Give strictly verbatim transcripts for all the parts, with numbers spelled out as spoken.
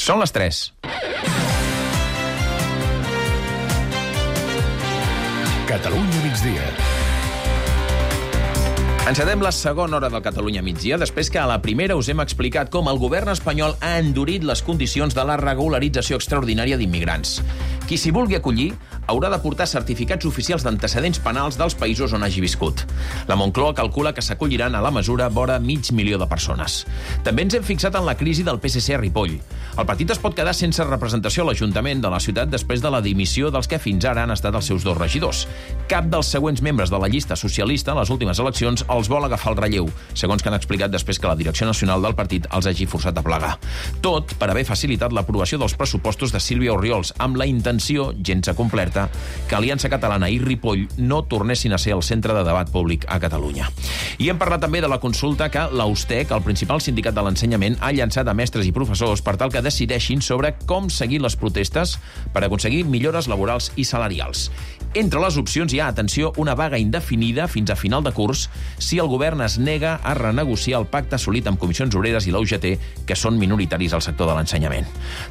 Són les tres. Catalunya migdia. Encetem la segona hora del Catalunya migdia, després que a la primera us hem explicat com el govern espanyol ha endurit les condicions de la regularització extraordinària d'immigrants. Qui s'hi vulgui acollir haurà de portar certificats oficials d'antecedents penals dels països on hagi viscut. La Moncloa calcula que s'acolliran a la mesura vora mig milió de persones. També ens hem fixat en la crisi del P S C a Ripoll. El partit es pot quedar sense representació a l'Ajuntament de la ciutat després de la dimissió dels que fins ara han estat els seus dos regidors. Cap dels següents membres de la llista socialista a les últimes eleccions els vol agafar el relleu, segons que han explicat després que la direcció nacional del partit els hagi forçat a plegar. Tot per haver facilitat l'aprovació dels pressupostos de Sílvia Orriols, amb la intenció, gens acomplerta, que Aliança Catalana i Ripoll no tornessin a ser el centre de debat públic a Catalunya. I hem parlat també de la consulta que l'Austec, el principal sindicat de l'ensenyament, ha llançat a mestres i professors per tal que decideixin sobre com seguir les protestes per aconseguir millores laborals i salarials. Entre les opcions hi ha, atenció, una vaga indefinida fins a final de curs si el govern es nega a renegociar el pacte assolit amb Comissions Obreres i la U G T, que són minoritaris al sector de l'ensenyament.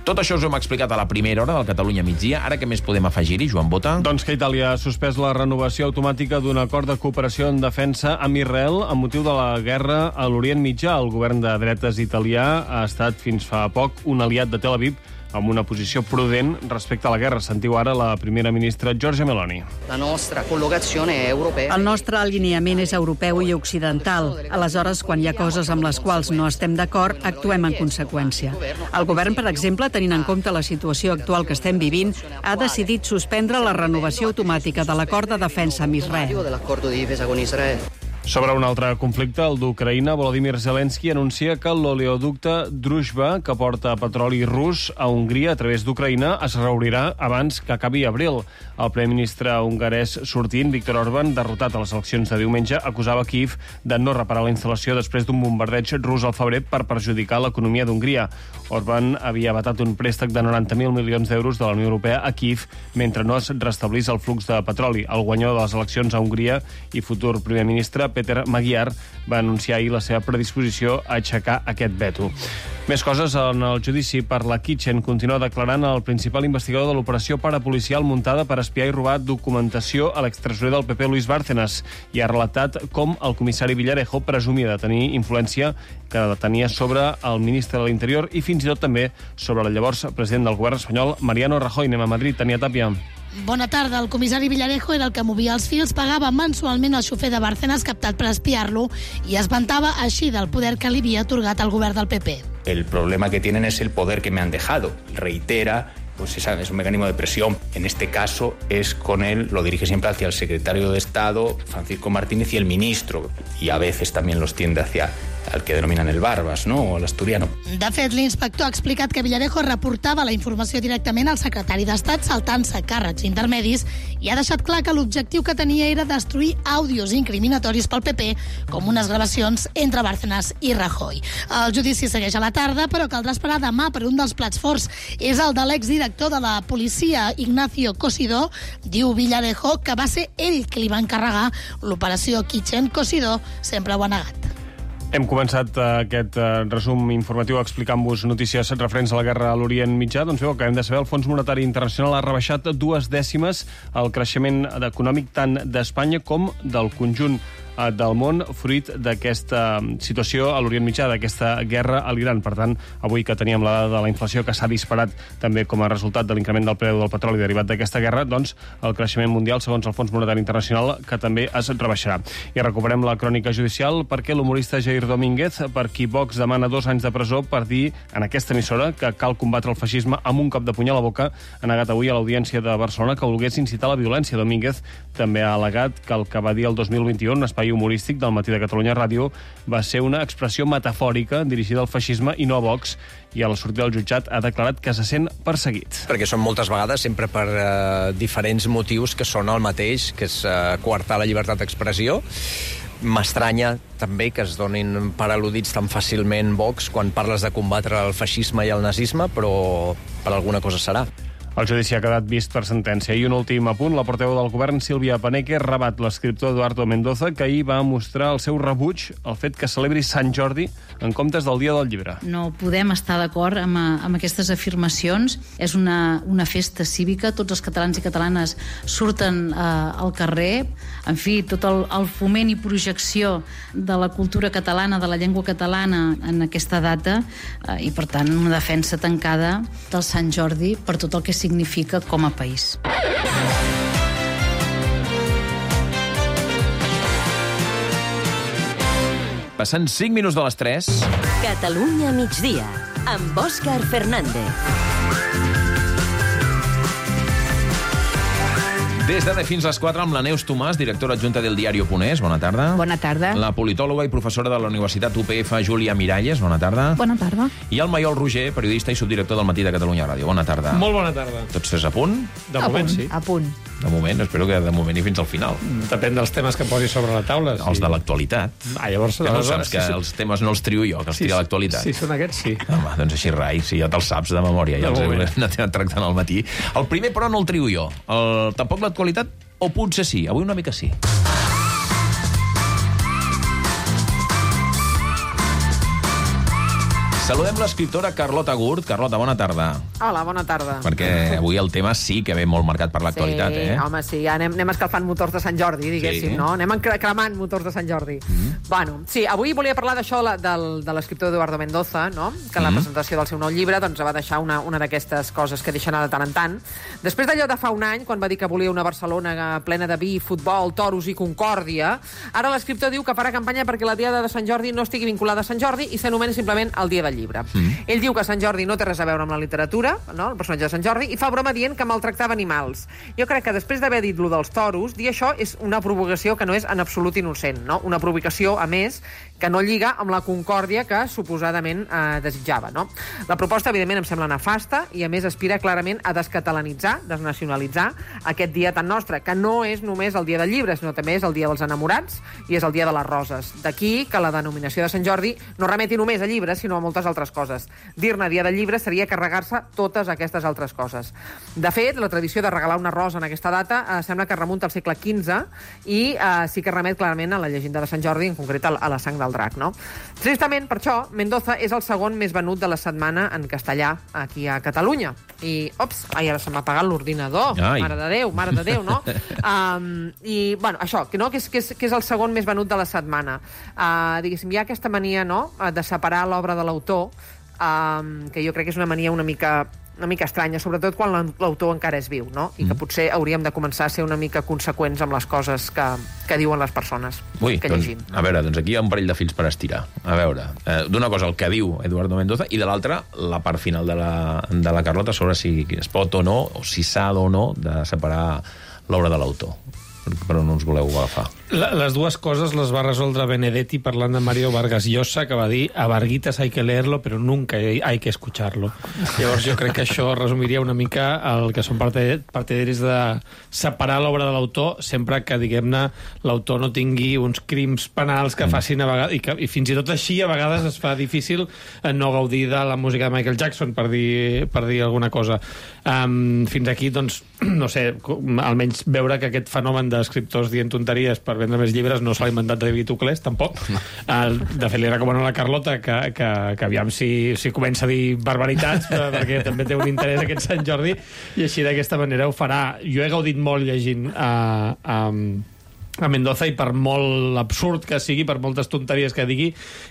Tot això us ho hem explicat a la primera hora del Catalunya migdia. Ara què més podem afegir-hi, Joan Bota? Doncs que Itàlia ha suspès la renovació automàtica d'un acord de cooperació en defensa amb Israel amb motiu de la guerra a l'Orient Mitjà. El govern de dretes italià ha estat fins fa poc un aliat de Tel Aviv amb una posició prudent respecte a la guerra. Sentiu ara la primera ministra Giorgia Meloni. La nostra collocazione è europea. El nostre alineament és europeu i occidental. Aleshores, quan hi ha coses amb les quals no estem d'acord, actuem en conseqüència. El govern, per exemple, tenint en compte la situació actual que estem vivint, ha decidit suspendre la renovació automàtica de l'acord de defensa amb Israel. Sobre un altre conflicte, el d'Ucraïna, Volodymyr Zelensky anuncia que l'oleoducte Druzhba, que porta petroli rus a Hongria a través d'Ucraïna, es reobrirà abans que acabi abril. El primer ministre hongarès sortint, Viktor Orbán, derrotat a les eleccions de diumenge, acusava Kíev de no reparar la instal·lació després d'un bombardeig rus al febrer per perjudicar l'economia d'Hongria. Orbán havia vetat un préstec de noranta mil milions d'euros de la Unió Europea a Kíev mentre no es restablís el flux de petroli. El guanyador de les eleccions a Hongria i futur primer ministre, Peter Magyar, va anunciar ahir la seva predisposició a aixecar aquest veto. Més coses. En el judici per la Kitchen continua declarant el principal investigador de l'operació parapolicial muntada per espiar i robar documentació a l'extresorer del P P, Luis Bárcenas, i ha relatat com el comissari Villarejo presumia de tenir influència que tenia sobre el ministre de l'Interior i fins i tot també sobre el llavors president del govern espanyol, Mariano Rajoy. Anem a Madrid. Tania Tàpia. Bona tarda. El comissari Villarejo era el que movia els fils, pagava mensualment al xofer de Bárcenas captat per espiar-lo i es vantava així del poder que li havia atorgat el govern del P P. El problema que tienen es el poder que me han dejado. Reitera, pues esa es un mecanismo de presión. En este caso es con él, lo dirige siempre hacia el secretario de Estado, Francisco Martínez, y el ministro. Y a veces también los tiende hacia el que denominan el Barbas, ¿no?, o l'Asturiano. De fet, l'inspector ha explicat que Villarejo reportava la informació directament al secretari d'Estat, saltant-se càrrecs intermedis, i ha deixat clar que l'objectiu que tenia era destruir àudios incriminatoris pel P P, com unes gravacions entre Bárcenas i Rajoy. El judici segueix a la tarda, però caldrà esperar demà per un dels plats forts. És el de l'exdirector de la policia, Ignacio Cosidó. Diu Villarejo que va ser ell que li va encarregar l'operació Kitchen. Cosidó sempre ho ha negat. Hem començat aquest resum informatiu explicant-vos notícies referents a la guerra a l'Orient Mitjà. Doncs bé, el que hem de saber, el Fons Monetari Internacional ha rebaixat dues dècimes el creixement econòmic tant d'Espanya com del conjunt del món, fruit d'aquesta situació a l'Orient Mitjà, d'aquesta guerra a l'Iran. Per tant, avui que teníem la dada de la inflació que s'ha disparat també com a resultat de l'increment del preu del petroli derivat d'aquesta guerra, doncs el creixement mundial, segons el Fons Monetari Internacional, que també es rebaixarà. I recuperem la crònica judicial perquè l'humorista Jair Domínguez, per qui Vox demana dos anys de presó per dir en aquesta emissora que cal combatre el feixisme amb un cop de puny a la boca, ha negat avui a l'Audiència de Barcelona que volgués incitar la violència. Domínguez també ha al·legat que el que va dir el dos mil vint-i-u un espai humorístic del Matí de Catalunya Ràdio va ser una expressió metafòrica dirigida al feixisme i no a Vox, i a la sortida del jutjat ha declarat que se sent perseguit. Perquè són moltes vegades sempre per eh, diferents motius que són el mateix, que és eh, coartar la llibertat d'expressió. M'estranya també que es donin per al·ludits tan fàcilment Vox quan parles de combatre el feixisme i el nazisme, però per alguna cosa serà. El judici ha quedat vist per sentència. I un últim apunt, la portaveu del govern, Sílvia Paneque, rebat l'escriptor Eduardo Mendoza, que ahir va mostrar el seu rebuig al fet que celebri Sant Jordi en comptes del Dia del Llibre. No podem estar d'acord amb, amb aquestes afirmacions. És una, una festa cívica, tots els catalans i catalanes surten eh, al carrer. En fi, tot el, el foment i projecció de la cultura catalana, de la llengua catalana en aquesta data, eh, i per tant una defensa tancada del Sant Jordi per tot el que significa com a país. Passant cinc minuts de les tres... Catalunya migdia, amb Òscar Fernández. Des de fins a les quatre amb la Neus Tomàs, directora adjunta del diari Ponés. Bona tarda. Bona tarda. La politòloga i professora de la Universitat U P F, Júlia Miralles. Bona tarda. Bona tarda. I el Maiol Roger, periodista i subdirector del Matí de Catalunya Ràdio. Bona tarda. Molt bona tarda. Tots tres a punt? De moment, punt, sí. A punt. De moment, espero que de moment i fins al final. Depèn dels temes que posi sobre la taula. Sí. Els de l'actualitat. Ah, llavors... Que no saps que els temes no els trio jo, que els sí, tria l'actualitat. Sí, són aquests, sí. Home, doncs així rai, si ja te'ls saps de memòria, ja els he anat tractant al matí. El primer, però, no el trio jo. El, tampoc l'actualitat, o potser sí. Avui una mica sí. Saludem l'escriptora Carlota Gurt. Carlota, bona tarda. Hola, bona tarda. Perquè avui el tema sí que ve molt marcat per l'actualitat, sí, eh? Home, sí, ja anem, anem escalfant motors de Sant Jordi, diguéssim, sí. No? Anem cremant motors de Sant Jordi. Mm. Bueno, sí, avui volia parlar d'això del, de l'escriptor Eduardo Mendoza, no? Que en la mm. presentació del seu nou llibre doncs, va deixar una, una d'aquestes coses que deixa anar de tant en tant. Després d'allò de fa un any, quan va dir que volia una Barcelona plena de vi, futbol, toros i concòrdia, ara l'escriptor diu que farà campanya perquè la Diada de Sant Jordi no estigui vinculada a Sant Jordi i s'anomeni simplement el Dia del Llibre. Mm. Ell diu que Sant Jordi no té res a veure amb la literatura, no? El personatge de Sant Jordi, i fa broma dient que maltractava animals. Jo crec que després d'haver dit lo dels toros, dir això és una provocació que no és en absolut innocent, no? Una provocació, a més, que no lliga amb la concòrdia que suposadament eh, desitjava, no? La proposta, evidentment, em sembla nefasta i, a més, aspira clarament a descatalanitzar, desnacionalitzar aquest dia tan nostre, que no és només el dia del llibre, sinó també és el dia dels enamorats i és el dia de les roses. D'aquí que la denominació de Sant Jordi no remeti només a llibres, sinó a moltes altres coses. Dir-ne dia del llibre seria carregar-se totes aquestes altres coses. De fet, la tradició de regalar una rosa en aquesta data eh, sembla que remunta al segle quinze i eh, sí que remet clarament a la llegenda de Sant Jordi, en concret a la sang del drac, no? Tristament, per això, Mendoza és el segon més venut de la setmana en castellà aquí a Catalunya. I, ops, ai, ara se m'ha apagat l'ordinador. Ai. Mare de Déu, mare de Déu, no? um, I, bueno, això, que, no, que, és, que, és, que és el segon més venut de la setmana. Uh, diguéssim, hi ha aquesta mania, no?, de separar l'obra de l'autor, um, que jo crec que és una mania una mica... una mica estranya, sobretot quan l'autor encara és viu, no? I que potser hauríem de començar a ser una mica conseqüents amb les coses que, que diuen les persones Ui, que doncs, llegim. A veure, doncs aquí hi ha un parell de fils per estirar. A veure, eh, d'una cosa el que diu Eduardo Mendoza i de l'altra la part final de la, de la Carlota sobre si es pot o no, o si s'ha o no de separar l'obra de l'autor. Però no ens voleu agafar. La, les dues coses les va resoldre Benedetti parlant de Mario Vargas Llosa, que va dir a Varguitas hay que leerlo, però nunca hay que escucharlo. Llavors jo crec que això resumiria una mica el que són partidaris de separar l'obra de l'autor sempre que, diguem-ne, l'autor no tingui uns crims penals que facin a vegades, i, que, i fins i tot així a vegades es fa difícil no gaudir de la música de Michael Jackson, per dir, per dir alguna cosa. Um, fins aquí, doncs, no sé, almenys veure que aquest fenomen d'escriptors dient tonteries per vendre més llibres no s'ha inventat David Tuclés, tampoc. Uh, de fet, li recomano a la Carlota que, que, que aviam si, si comença a dir barbaritats, perquè també té un interès aquest Sant Jordi, i així d'aquesta manera ho farà. Jo he gaudit molt llegint a... Uh, um, a Mendoza, i per molt absurd que sigui, per moltes tonteries que digui,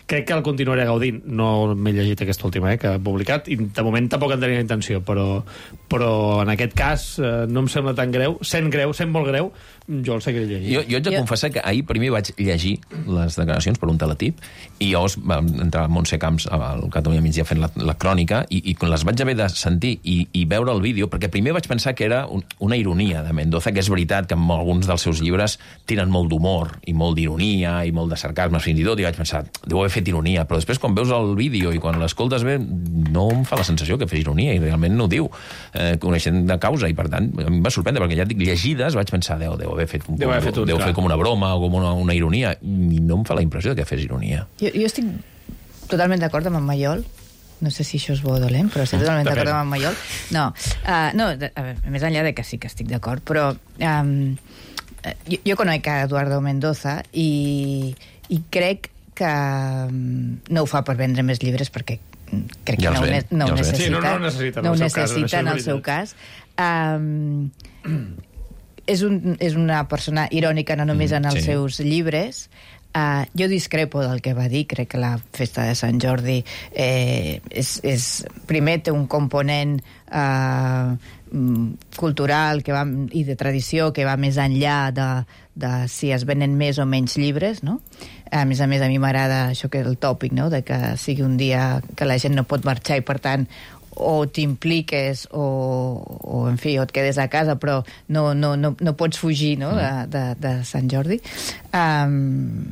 crec que el continuaré gaudint. No m'he llegit aquesta última eh, que ha publicat, i de moment tampoc en tenia intenció, però, però en aquest cas eh, no em sembla tan greu, sent greu, sent molt greu, jo el seguiré llegint. Jo, jo haig de jo... confessar que ahir primer vaig llegir les declaracions per un teletip, i llavors va entrar a Montse Camps al Catalunya Migdia fent la, la crònica, i, i quan les vaig haver de sentir i, i veure el vídeo, perquè primer vaig pensar que era un, una ironia de Mendoza, que és veritat que en alguns dels seus llibres tenen molt d'humor i molt d'ironia i molt de sarcasme fins i tot, i vaig pensar, deu haver fet ironia, però després quan veus el vídeo i quan l'escoltes bé, no em fa la sensació que fes ironia, i realment no ho diu, eh, coneixent de causa, i per tant em va sorprendre, perquè ja et dic, llegides vaig pensar, deu, deu haver fet, un, deu haver fet, un, deu fer com una broma o com una, una ironia, i no em fa la impressió de que fes ironia. Jo, jo estic totalment d'acord amb en Maiol. no sé si això és bo o dolent, però estic totalment d'acord amb en Mayol. No, uh, no a veure, més enllà de que sí que estic d'acord, però um, jo, jo conec a Eduardo Mendoza i, i crec que um, no ho fa per vendre més llibres, perquè crec ja que no, ve, ne no, ja necessita, sí, no, no necessita, no en el necessita seu cas, en el seu cas. Um, és, un, és una persona irònica no només en els sí. seus llibres. Uh, jo discrepo del que va dir. Crec que la festa de Sant Jordi eh, és, és, primer té un component uh, cultural que va, i de tradició que va més enllà de, de si es venen més o menys llibres, no? A més a més, a mi m'agrada això que és el tòpic, no? De que sigui un dia que la gent no pot marxar i, per tant, o t'impliques o, o, en fi, o et quedes a casa, però no, no, no, no pots fugir, no? de, de, de Sant Jordi. Um,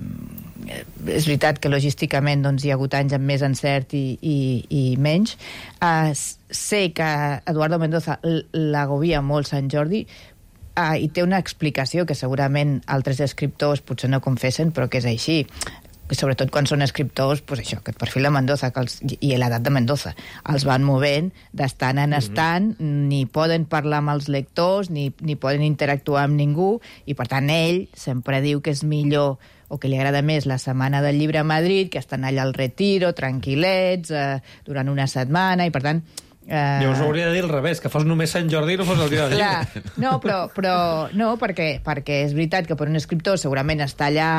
és veritat que logísticament doncs, hi ha hagut anys amb més encert i, i, i menys. Uh, sé que Eduardo Mendoza l'agobia molt Sant Jordi, uh, i té una explicació que segurament altres escriptors potser no confessen, però que és així. Sobretot quan són escriptors, pues això, que el perfil de Mendoza que els, i l'edat de Mendoza els van movent d'estant en estant, mm-hmm. ni poden parlar amb els lectors, ni, ni poden interactuar amb ningú, i per tant ell sempre diu que és millor o que li agrada més la setmana del llibre a Madrid, que estan allà al Retiro, tranquil·lets, eh, durant una setmana, i per tant... Eh... Llavors hauria de dir al revés, que fos només Sant Jordi i no fos el dia del llibre. No, però, però no, perquè, perquè és veritat que per un escriptor segurament està allà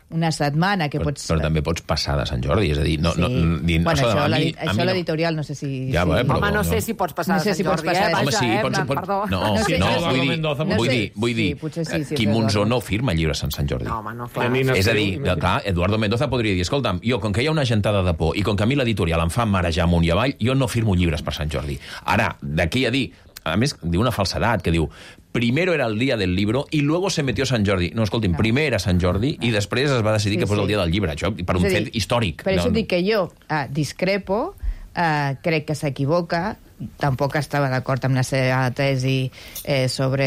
una setmana que però, pots... Però també pots passar de Sant Jordi, és a dir... No, sí. no, no, bueno, no, això, mi, això l'editorial no sé si... Ja, si... bé, però, Home, no, no sé si pots passar no sé de Sant si pots Jordi, passar eh? Home, Vaja, sí, eh? pots, Plan, pot, perdó. no, No sé, no, no vull sé. dir, Mendoza, no vull sé. dir, vull dir, Sí, potser sí, sí, Quim és Monzó Eduardo. no firma llibres en Sant Jordi. No, home, no, clar. És a dir, clar, Eduardo Mendoza podria dir, escolta'm, jo, com que hi ha una gentada de por i com que a mi l'editorial em fa marejar amunt i avall, jo no firmo llibres per Sant Jordi. Ara, d'aquí a dir... A més, diu una falsedat, que diu primero era el día del libro y luego se metió Sant Jordi. No, escolti'm, no. primer era Sant Jordi i després es va decidir sí, que fos sí. el dia del llibre. Això per un fet històric. Per això no, dic que jo uh, discrepo, uh, crec que s'equivoca, tampoc estava d'acord amb la seva tesi eh, sobre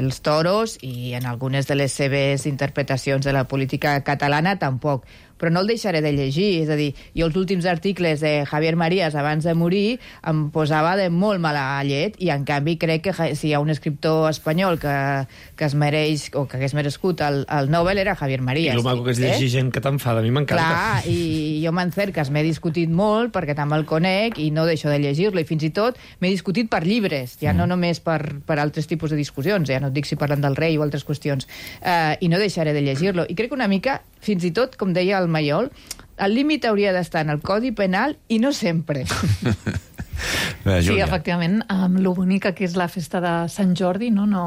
els toros i en algunes de les seves interpretacions de la política catalana tampoc, però no el deixaré de llegir, és a dir, jo els últims articles de Javier Marías abans de morir em posava de molt mala llet i en canvi crec que si hi ha un escriptor espanyol que, que es mereix o que hagués merescut el, el Nobel era Javier Marías. I el maco que és llegir eh? gent que t'enfada, a mi m'encanta. Clar, i jo m'encerques, m'he discutit molt perquè també el conec i no deixo de llegir-lo i fins i tot m'he discutit per llibres, ja mm. no només per, per altres tipus de discussions, ja no et dic si parlen del rei o altres qüestions, uh, i no deixaré de llegir-lo. I crec que una mica, fins i tot, com deia el Mayol, el límit hauria d'estar en el Codi Penal i no sempre. Sí, efectivament, amb lo bonica que és la festa de Sant Jordi, no, no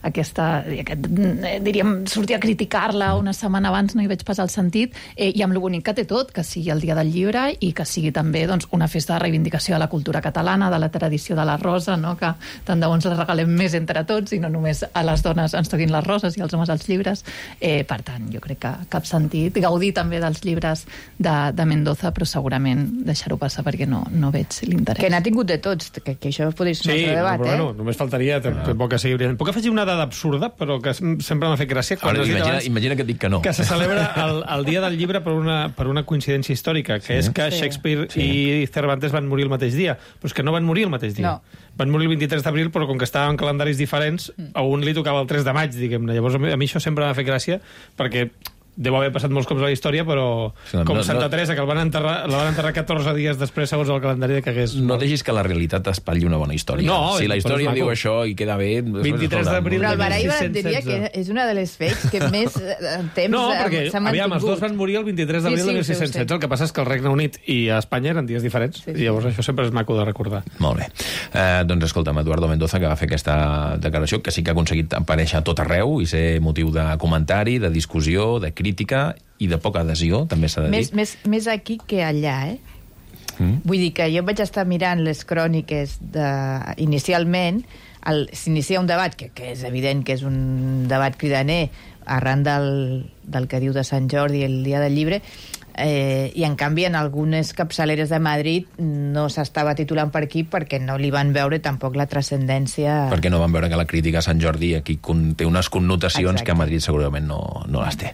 aquesta, aquest, diríem, sortir a criticar-la una setmana abans no hi veig pas el sentit, eh, i amb lo bonic que té tot, que sigui el dia del llibre i que sigui també doncs, una festa de reivindicació de la cultura catalana, de la tradició de la rosa, no, que tant de bons la regalem més entre tots i no només a les dones ens toquin les roses i als homes els llibres. Eh, per tant, jo crec que cap sentit. Gaudir també dels llibres de, de Mendoza, però segurament deixar-ho passar perquè no, no veig l'interès. Que n'ha tingut de tots, que, que això podria ser un sí, altre debat, però, eh? Bueno, només faltaria tampoc que sigui brillant. Puc afegir una dada absurda, però que sempre m'ha fet gràcia. Quan Ara, imagina, abans, imagina que et dic que no. Que se celebra el, el dia del llibre per una, per una coincidència històrica, que sí. és que sí. Shakespeare sí. i Cervantes van morir el mateix dia. Però és que no van morir el mateix dia. No. Van morir el vint-i-tres d'abril, però com que estaven en calendaris diferents, a un li tocava el tres de maig, diguem-ne. Llavors, a mi això sempre m'ha fet gràcia, perquè deu haver passat molts cops a la història, però sí, com no, Santa no, Teresa, que el van enterrar, la van enterrar catorze dies després, segons el calendari que hagués... No deixis que la realitat espatlli una bona història. No, si la història diu això i queda bé... vint-i-tres d'abril Però el Baraiba diria que és una de les fets que més temps no, perquè, s'ha mantingut. Aviam, els dos van morir el vint-i-tres d'abril sí, sí, de mil sis-cents setze. El que passa és que el Regne Unit i a Espanya eren dies diferents, sí, sí. i llavors això sempre és maco de recordar. Molt bé. Eh, doncs escolta'm, Eduardo Mendoza, que va fer aquesta declaració, que sí que ha aconseguit aparèixer a tot arreu i ser motiu de comentari, de discussió, de crítica i de poca adhesió, també s'ha de dir. Més, més, més aquí que allà, eh? Mm. Vull dir que jo vaig estar mirant les cròniques de... inicialment, s'inicia un debat, que, que és evident que és un debat cridaner, arran del, del que diu de Sant Jordi el dia del llibre, Eh, I, en canvi, en algunes capçaleres de Madrid no s'estava titulant per aquí perquè no li van veure tampoc la transcendència... Perquè no van veure que la crítica a Sant Jordi aquí té unes connotacions Exacte. que a Madrid segurament no, no les té.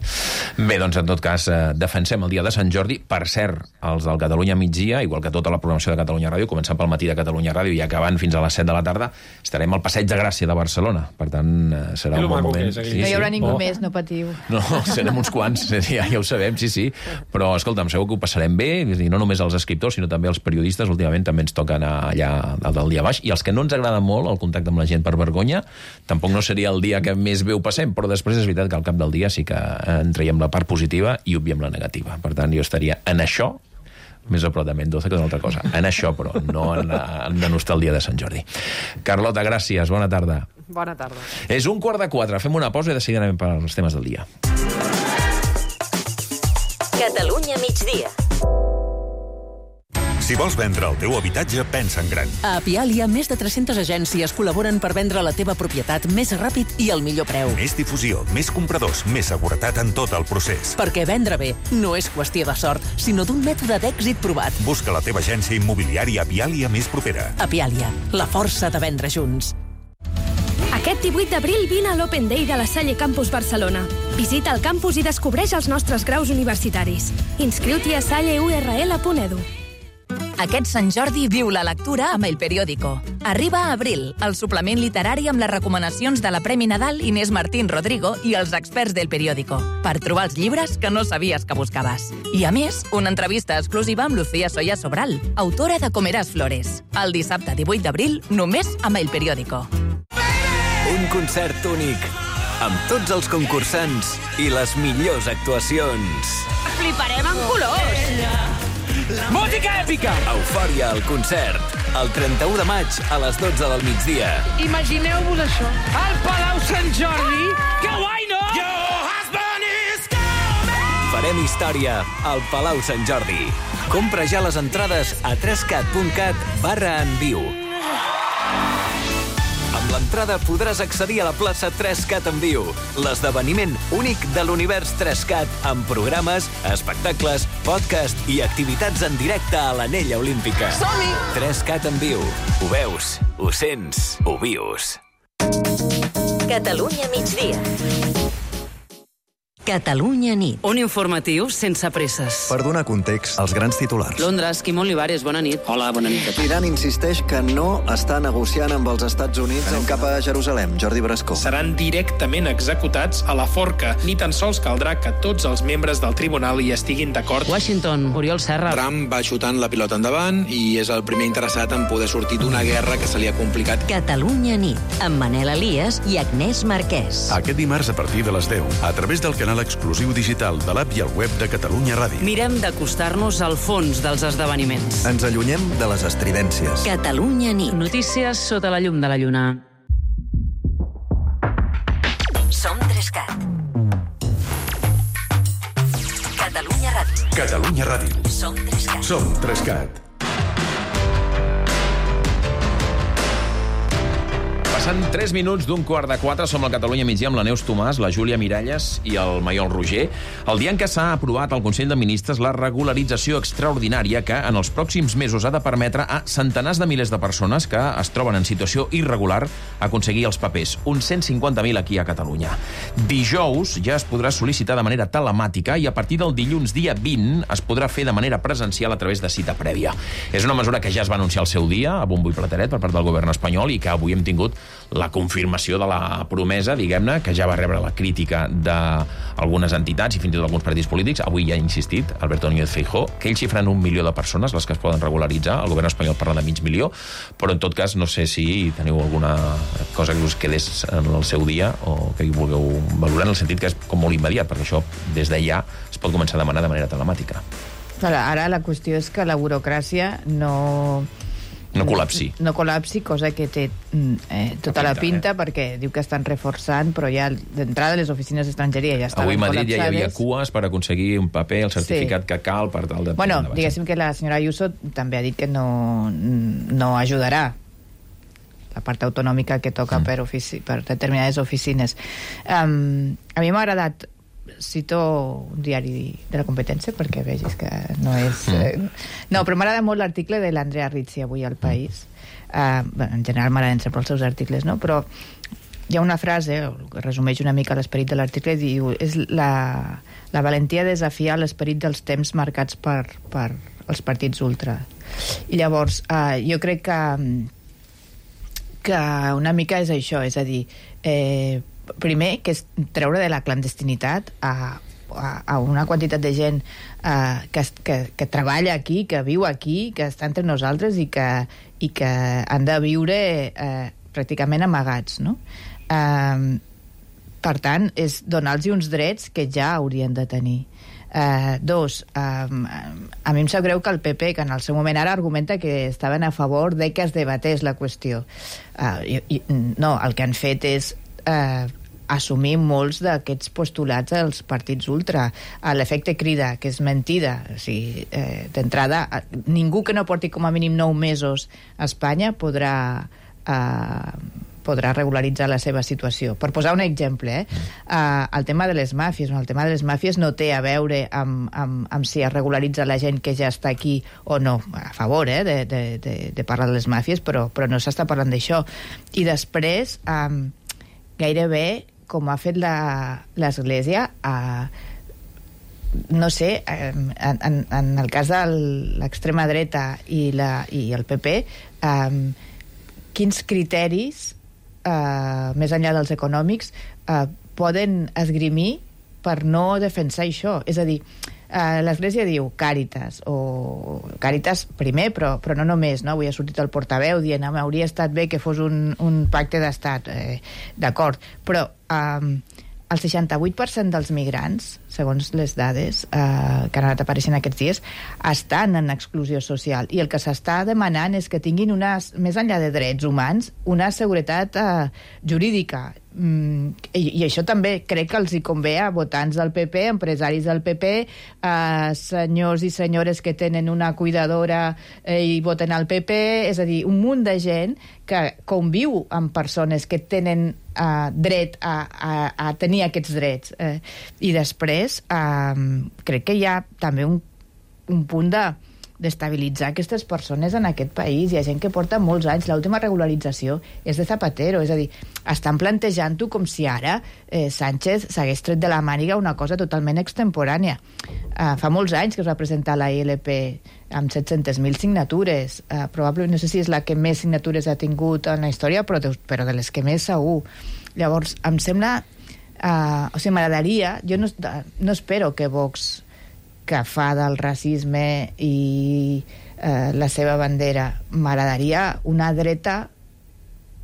Bé, doncs, en tot cas, eh, defensem el dia de Sant Jordi. Per cert, els del Catalunya Migdia, igual que tota la programació de Catalunya Ràdio, començant pel matí de Catalunya Ràdio i acabant fins a les set de la tarda, estarem al Passeig de Gràcia de Barcelona. Per tant, eh, serà un bon moment. Sí, no hi haurà sí. ningú oh. més, no patiu. No, serem uns quants, ja, ja ho sabem, sí, sí. Però, escolta'm, segur que ho passarem bé, i no només els escriptors, sinó també els periodistes. Últimament també ens toca anar allà del dia baix. I els que no ens agrada molt el contacte amb la gent per vergonya, tampoc no seria el dia que més bé ho passem, però després és veritat que al cap del dia sí que en traiem la part positiva i obviem la negativa. Per tant, jo estaria en això, més a prop de Mendoza que d'una altra cosa. En això, però, no en, en denostar el dia de Sant Jordi. Carlota, gràcies. Bona tarda. Bona tarda. És un quart de quatre. Fem una pausa i de seguida anem per als temes del dia. Catalunya migdia. Si vols vendre el teu habitatge, pensa en gran. A Apialia, més de tres-centes agències col·laboren per vendre la teva propietat més ràpid i al millor preu. Més difusió, més compradors, més seguretat en tot el procés. Perquè vendre bé no és qüestió de sort, sinó d'un mètode d'èxit provat. Busca la teva agència immobiliària Apialia més propera. Apialia, la força de vendre junts. Aquest divuit d'abril vine a l'Open Day de la Salle Campus Barcelona. Visita el campus i descobreix els nostres graus universitaris. Inscriu-t'hi a salle u erre ele punt edu. Aquest Sant Jordi viu la lectura amb El Periódico. Arriba a Abril, el suplement literari amb les recomanacions de la Premi Nadal Inés Martín Rodrigo i els experts del Periódico, per trobar els llibres que no sabies que buscaves. I a més, una entrevista exclusiva amb Lucía Soya Sobral, autora de Comeràs Flores. El dissabte divuit d'abril, només amb El Periódico. Un concert únic, amb tots els concursants i les millors actuacions. Fliparem en colors! Música èpica! Eufòria al concert. El trenta-u de maig a les dotze del migdia. Imagineu-vos això. Al Palau Sant Jordi. Que guai, no? Farem història al Palau Sant Jordi. Compra ja les entrades a trescat punt cat barra en viu. Amb l'entrada podràs accedir a la plaça tres cat en viu, l'esdeveniment únic de l'univers tres cat, amb programes, espectacles, podcast i activitats en directe a l'Anella Olímpica. Som-hi! tres cat en viu. Ho veus, ho sents, ho vius. Catalunya migdia. Catalunya nit. Un informatiu sense presses. Per donar context als grans titulars. Londres, Quim Olivares, bona nit. Hola, bona nit. Iran insisteix que no està negociant amb els Estats Units Anem cap a Jerusalem. Jordi Brascó. Seran directament executats a la forca. Ni tan sols caldrà que tots els membres del tribunal hi estiguin d'acord. Washington, Oriol Serra. Trump va xutant la pilota endavant i és el primer interessat en poder sortir d'una guerra que se li ha complicat. Catalunya nit, amb Manel Elias i Agnès Marquès. Aquest dimarts a partir de les deu, a través del canal exclusiu digital de l'app i el web de Catalunya Ràdio. Mirem d'acostar-nos al fons dels esdeveniments. Ens allunyem de les estridències. Catalunya nit. Notícies sota la llum de la lluna. Som Trescat. Catalunya Ràdio. Catalunya Ràdio. Som Trescat. Som Trescat. Passant tres minuts d'un quart de quatre, som al Catalunya migdia amb la Neus Tomàs, la Júlia Miralles i el Maiol Roger. El dia en què s'ha aprovat al Consell de Ministres la regularització extraordinària que en els pròxims mesos ha de permetre a centenars de milers de persones que es troben en situació irregular aconseguir els papers. Uns cent cinquanta mil aquí a Catalunya. Dijous ja es podrà sol·licitar de manera telemàtica i a partir del dilluns dia vint es podrà fer de manera presencial a través de cita prèvia. És una mesura que ja es va anunciar al seu dia, a bombo i plateret, per part del govern espanyol i que avui hem tingut la confirmació de la promesa, diguem-ne, que ja va rebre la crítica d'algunes entitats i fins i tot alguns partits polítics. Avui ja ha insistit Alberto Núñez Feijóo que ells xifren un milió de persones les que es poden regularitzar. El govern espanyol parla de mig milió, però en tot cas no sé si teniu alguna cosa que us quedés en el seu dia o que hi vulgueu valorar, en el sentit que és com molt immediat, perquè això des d'allà es pot començar a demanar de manera telemàtica. Ara la qüestió és que la burocràcia no... No col·lapsi. No col·lapsi, cosa que té eh, tota la pinta, eh? Perquè diu que estan reforçant, però ja d'entrada les oficines d'estrangeria ja estaven col·lapsades. Avui a Madrid ja hi havia col·lapsades. cues per aconseguir un paper, el certificat sí. que cal per tal de... Bueno, diguéssim que la senyora Ayuso també ha dit que no, no ajudarà la part autonòmica que toca mm. per, ofici, per determinades oficines. Um, a mi m'ha agradat cito un diari de la competència perquè vegis que no és... Eh, no, però m'agrada molt l'article de l'Andrea Rizzi avui al País. Uh, bueno, en general m'agraden sempre els seus articles, no? Però hi ha una frase que resumeix una mica l'esperit de l'article, diu, és la, la valentia de desafiar l'esperit dels temps marcats per, per els partits ultra. I llavors, uh, jo crec que que una mica és això, és a dir, eh, primer, que és treure de la clandestinitat a, a, a una quantitat de gent eh, que, que, que treballa aquí, que viu aquí, que està entre nosaltres i que, i que han de viure eh, pràcticament amagats, no? Eh, per tant, és donar-los uns drets que ja haurien de tenir. Uh, dos, um, a mi em sap greu que el P P, que en el seu moment ara argumenta que estaven a favor de que es debatés la qüestió. Uh, i, i, no, el que han fet és uh, assumir molts d'aquests postulats dels partits ultra. Uh, l'efecte crida, que és mentida. O sigui, uh, d'entrada, uh, ningú que no porti com a mínim nou mesos a Espanya podrà... Uh, podrà regularitzar la seva situació. Per posar un exemple, eh? Uh, el tema de les màfies, el tema de les màfies no té a veure amb, amb, amb si es regularitza la gent que ja està aquí o no. A favor, eh, de, de, de, de parlar de les màfies, però, però no s'està parlant d'això. I després, um, gairebé, com ha fet l'Església, uh, no sé, um, en, en el cas de l'extrema dreta i, la, i el P P, um, quins criteris Uh, més enllà dels econòmics uh, poden esgrimir per no defensar això. És a dir, uh, l'Església diu Càritas, o Càritas primer, però, però no només, no? Avui ha sortit el portaveu dient que hauria estat bé que fos un, un pacte d'estat, eh, d'acord, però um, el seixanta-vuit per cent dels migrants, segons les dades eh, que han anat apareixent aquests dies, estan en exclusió social. I el que s'està demanant és que tinguin, unes, més enllà de drets humans, una seguretat eh, jurídica. Mm, i, I això també crec que els hi convé a votants del P P, empresaris del P P, eh, senyors i senyores que tenen una cuidadora eh, i voten al P P, és a dir, un munt de gent que conviu amb persones que tenen Uh, dret a, a, a tenir aquests drets. Uh, I després uh, crec que hi ha també un, un punt de d'estabilitzar aquestes persones en aquest país. Hi ha gent que porta molts anys. L'última regularització és de Zapatero, és a dir, estan plantejant-ho com si ara eh, Sánchez s'hagués tret de la màniga una cosa totalment extemporània. Uh, fa molts anys que es va presentar la I L P amb set-centes mil signatures. Uh, probablement, no sé si és la que més signatures ha tingut en la història, però de, però de les que més segur. Llavors, em sembla... Uh, o sigui, m'agradaria... Jo no, no espero que Vox, que fa del racisme i uh, la seva bandera, m'agradaria una dreta,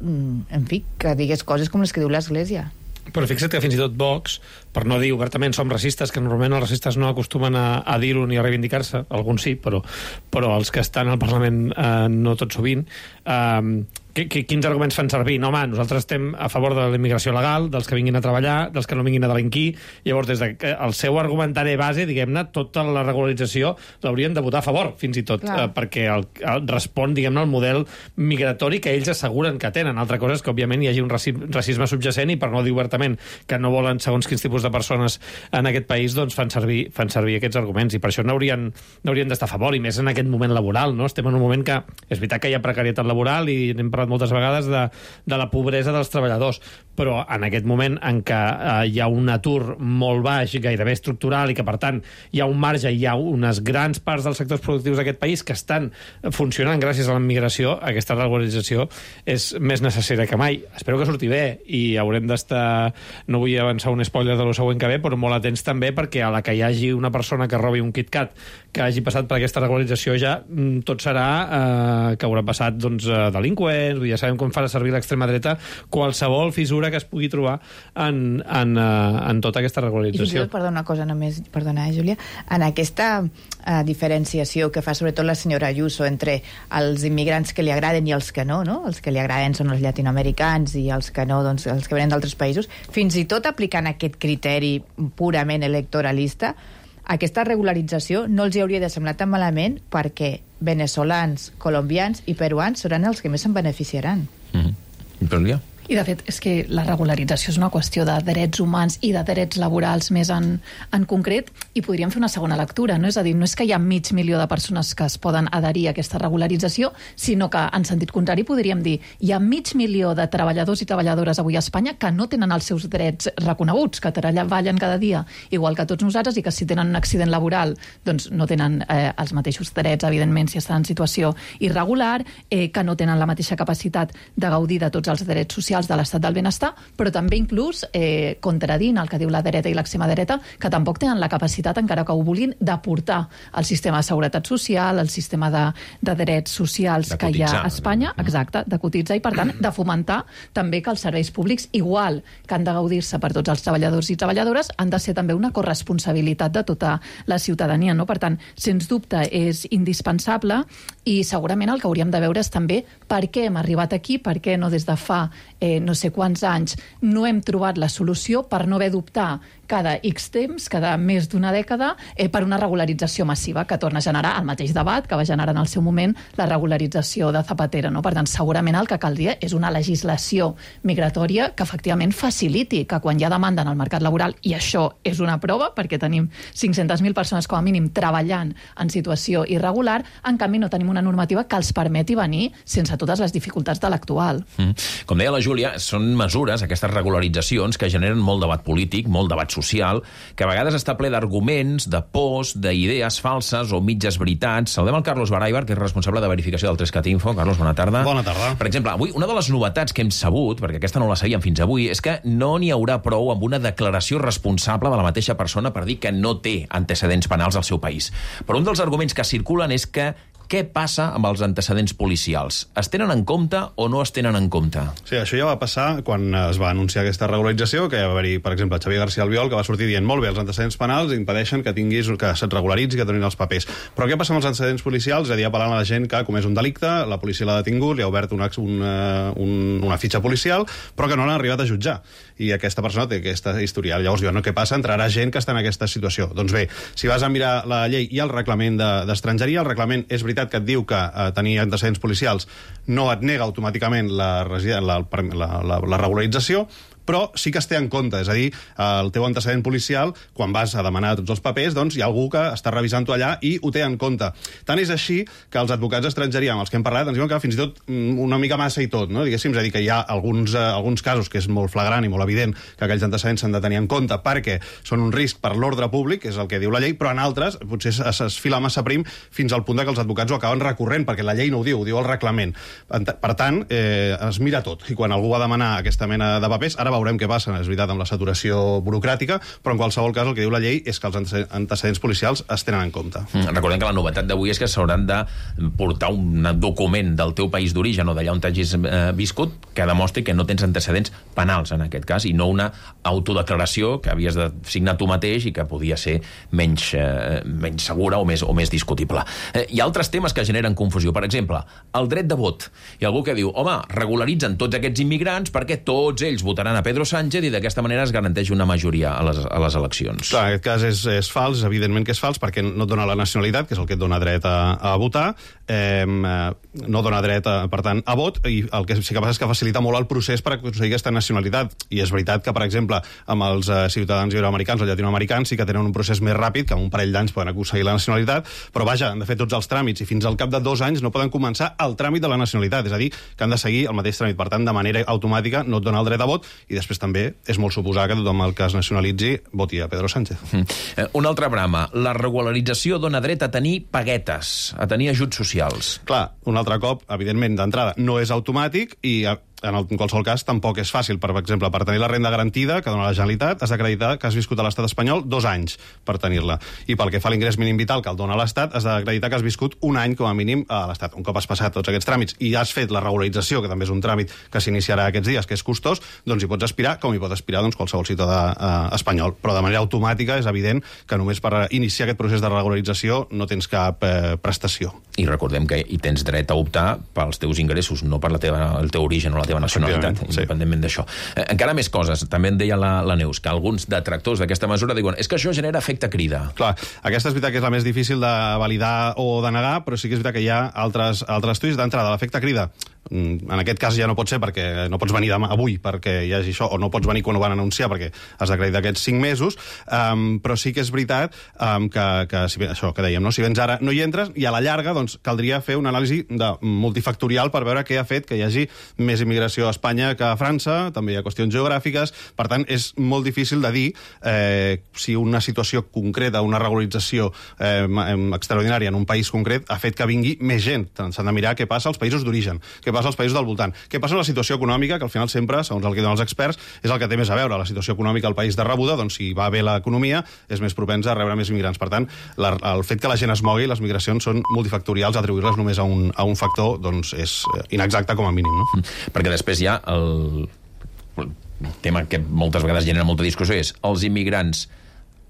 en fi, que digués coses com les que diu l'Església. Però fixa't que fins i tot Vox, per no dir obertament som racistes, que normalment els racistes no acostumen a, a dir-ho ni a reivindicar-se, alguns sí, però, però els que estan al Parlament eh, no tot sovint, eh, que, que, quins arguments fan servir? No, home, nosaltres estem a favor de la immigració legal, dels que vinguin a treballar, dels que no vinguin a delinquir. Llavors, des del seu argumentari base, diguem-ne, tota la regularització l'haurien de votar a favor, fins i tot, eh, perquè el, el respon, diguem-ne, al model migratori que ells asseguren que tenen. Altra cosa és que, òbviament, hi hagi un racisme subjacent i, per no dir obertament que no volen segons quins tipus de persones en aquest país, doncs fan servir, fan servir aquests arguments, i per això n'haurien n'haurien d'estar a favor, i més en aquest moment laboral, no? Estem en un moment que és veritat que hi ha precarietat laboral i n'hem parlat moltes vegades de, de la pobresa dels treballadors, però en aquest moment en què eh, hi ha un atur molt baix, gairebé estructural, i que per tant hi ha un marge, hi ha unes grans parts dels sectors productius d'aquest país que estan funcionant gràcies a la migració, aquesta regularització és més necessària que mai. Espero que surti bé, i haurem d'estar, no vull avançar un spoiler de lo següent que ve, però molt atents també, perquè a la que hi hagi una persona que robi un KitKat que hagi passat per aquesta regularització, ja tot serà eh, que haurà passat, doncs, delinqüents. Ja sabem com farà servir l'extrema dreta qualsevol fissura que es pugui trobar en, en, en tota aquesta regularització. I fins i tot, perdona, una cosa només, perdona, eh, Júlia, en aquesta eh, diferenciació que fa sobretot la senyora Ayuso entre els immigrants que li agraden i els que no, no? Els que li agraden són els llatinoamericans i els que no, doncs, els que venen d'altres països, fins i tot aplicant aquest criteri purament electoralista, aquesta regularització no els hi hauria de semblar tan malament, perquè veneçolans, colombians i peruans seran els que més se'n beneficiaran. Mm-hmm. Però ja, I, de fet, és que la regularització és una qüestió de drets humans i de drets laborals més en, en concret, i podríem fer una segona lectura, no? És a dir, no és que hi ha mig milió de persones que es poden adherir a aquesta regularització, sinó que, en sentit contrari, podríem dir hi ha mig milió de treballadors i treballadores avui a Espanya que no tenen els seus drets reconeguts, que treballen cada dia igual que tots nosaltres, i que si tenen un accident laboral doncs no tenen eh, els mateixos drets, evidentment, si estan en situació irregular, eh, que no tenen la mateixa capacitat de gaudir de tots els drets socials de l'estat del benestar, però també inclús eh, contradint el que diu la dreta i l'extrema dreta, que tampoc tenen la capacitat, encara que ho vulguin, d'aportar al sistema de seguretat social, al sistema de, de drets socials de que cotitzar, hi ha a Espanya, exacte, de cotitzar, i per tant de fomentar també que els serveis públics, igual que han de gaudir-se per tots els treballadors i treballadores, han de ser també una corresponsabilitat de tota la ciutadania, no? Per tant, sens dubte és indispensable, i segurament el que hauríem de veure és també per què hem arribat aquí, per què no des de fa eh, no sé quants anys no hem trobat la solució per no haver d'optar cada X temps, cada més d'una dècada, eh, per una regularització massiva que torna a generar el mateix debat que va generar en el seu moment la regularització de Zapatero, no? Per tant, segurament el que caldria és una legislació migratòria que efectivament faciliti que quan hi ha demanda en el mercat laboral, i això és una prova perquè tenim cinc-centes mil persones com a mínim treballant en situació irregular, en canvi no tenim una normativa que els permeti venir sense totes les dificultats de l'actual. Mm. Com deia la Júlia, són mesures, aquestes regularitzacions, que generen molt debat polític, molt debat social, que a vegades està ple d'arguments, de pors, d'idees falses o mitges veritats. Saludem el Carlos Baraibar, que és responsable de verificació del Trescat Info. Carlos, bona tarda. Bona tarda. Per exemple, avui una de les novetats que hem sabut, perquè aquesta no la sabíem fins avui, és que no n'hi haurà prou amb una declaració responsable de la mateixa persona per dir que no té antecedents penals al seu país. Però un dels arguments que circulen és que què passa amb els antecedents policials? Es tenen en compte o no es tenen en compte? Sí, això ja va passar quan es va anunciar aquesta regularització, que va haver-hi, per exemple, Xavier García Albiol, que va sortir dient molt bé, els antecedents penals impedeixen que tinguis que se't regularitzi, que et donin els papers. Però què passa amb els antecedents policials? És a dir, apel·lant a la gent que ha comès un delicte, la policia l'ha detingut, li ha obert una, una, una fitxa policial, però que no l'han arribat a jutjar. I aquesta persona té aquesta historial. Llavors diuen, no, què passa? Entrarà gent que està en aquesta situació. Doncs bé, si vas a mirar la llei i el reglament d'estrangeria, el reglament és veritat que et diu que eh, tenir antecedents policials no et nega automàticament la, la, la, la, la regularització, però sí que es té en compte, és a dir, el teu antecedent policial, quan vas a demanar tots els papers, doncs hi ha algú que està revisant-ho allà i ho té en compte. Tant és així que els advocats d'estrangeria amb els que hem parlat ens diuen que fins i tot una mica massa i tot, no? Diguéssim, és a dir, que hi ha alguns, eh, alguns casos que és molt flagrant i molt evident que aquells antecedents s'han de tenir en compte perquè són un risc per l'ordre públic, és el que diu la llei, però en altres potser es, es fila massa prim fins al punt que els advocats ho acaben recorrent, perquè la llei no ho diu, ho diu el reglament. Per tant, eh, es mira tot, i quan algú va demanar aquesta mena de papers, ara veurem què passa, és veritat, amb la saturació burocràtica, però en qualsevol cas el que diu la llei és que els antecedents policials es tenen en compte. Mm, recordem que la novetat d'avui és que s'hauran de portar un document del teu país d'origen o d'allà on t'hagis eh, viscut que demostri que no tens antecedents penals, en aquest cas, i no una autodeclaració que havies de signar tu mateix i que podia ser menys, eh, menys segura o més, o més discutible. Eh, hi ha altres temes que generen confusió. Per exemple, el dret de vot. Hi ha algú que diu, home, regularitzen tots aquests immigrants perquè tots ells votaran a Pedro Sánchez i d'aquesta manera es garanteix una majoria a les, a les eleccions. Clar, en aquest cas és, és fals, evidentment que és fals, perquè no et dona la nacionalitat, que és el que et dona dret a, a votar, eh, no dona dret, a, per tant, a vot, i el que sí que passa és que facilita molt el procés per aconseguir aquesta nacionalitat. I és veritat que, per exemple, amb els eh, ciutadans iberoamericans o llatinoamericans sí que tenen un procés més ràpid, que en un parell d'anys poden aconseguir la nacionalitat, però vaja, han de fer tots els tràmits i fins al cap de dos anys no poden començar el tràmit de la nacionalitat, és a dir, que han de seguir el mateix tràmit. Per tant, de manera automàtica no et dona el dret a vot, i després també és molt suposar que tothom el que es nacionalitzi voti a Pedro Sánchez. Mm. Un altre brama. La regularització dona dret a tenir paguetes, a tenir ajuts socials. Clar, un altre cop, evidentment, d'entrada, no és automàtic i en, el, en qualsevol cas tampoc és fàcil. Per exemple, per tenir la renda garantida que dona la Generalitat has d'acreditar que has viscut a l'estat espanyol dos anys per tenir-la. I pel que fa a l'ingrés mínim vital que el dona l'Estat, has d'acreditar que has viscut un any com a mínim a l'Estat. Un cop has passat tots aquests tràmits i has fet la regularització, que també és un tràmit que s'iniciarà aquests dies, que és costós, doncs hi pots aspirar, com hi pot aspirar doncs, qualsevol ciutadà eh, espanyol. Però de manera automàtica és evident que només per iniciar aquest procés de regularització no tens cap eh, prestació. I recordem que hi tens dret a optar pels teus ingressos, no per la teva, el teu origen o la teva nacionalitat, sí, independentment d'això. Eh, encara més coses. També en deia la, la Neus, que alguns detractors d'aquesta mesura diuen és que això genera efecte crida. Clar, aquesta és veritat que és la més difícil de validar o de negar, però sí que és veritat que hi ha altres, altres estudis d'entrada. L'efecte crida En aquest cas ja no pot ser perquè no pots venir demà, avui perquè hi hagi això, o no pots venir quan ho van anunciar perquè has d'acreditar aquests cinc mesos, um, però sí que és veritat um, que, que si, això que dèiem, no? Si vens ara no hi entres, i a la llarga doncs, caldria fer una anàlisi de multifactorial per veure què ha fet que hi hagi més immigració a Espanya que a França, també hi ha qüestions geogràfiques, per tant és molt difícil de dir eh, si una situació concreta, una regularització eh, extraordinària en un país concret ha fet que vingui més gent. S'han de mirar què passa als països d'origen, què passa als països del voltant, què passa amb la situació econòmica, que al final sempre, segons el que diuen els experts, és el que té més a veure. La situació econòmica al país de rebuda, doncs si va bé l'economia, és més propens a rebre més immigrants. Per tant, la, el fet que la gent es mogui, les migracions són multifactorials, atribuir-les només a un, a un factor doncs és inexacte com a mínim, no? Perquè després hi ha el, el tema que moltes vegades genera molta discussió, és els immigrants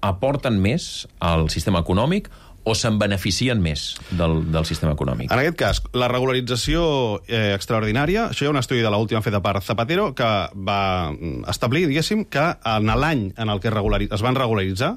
aporten més al sistema econòmic o se'n beneficien més del, del sistema econòmic? En aquest cas, la regularització eh, extraordinària, això hi ha un estudi de l'última feta per Zapatero que va establir, diguéssim, que en l'any en el que es van regularitzar,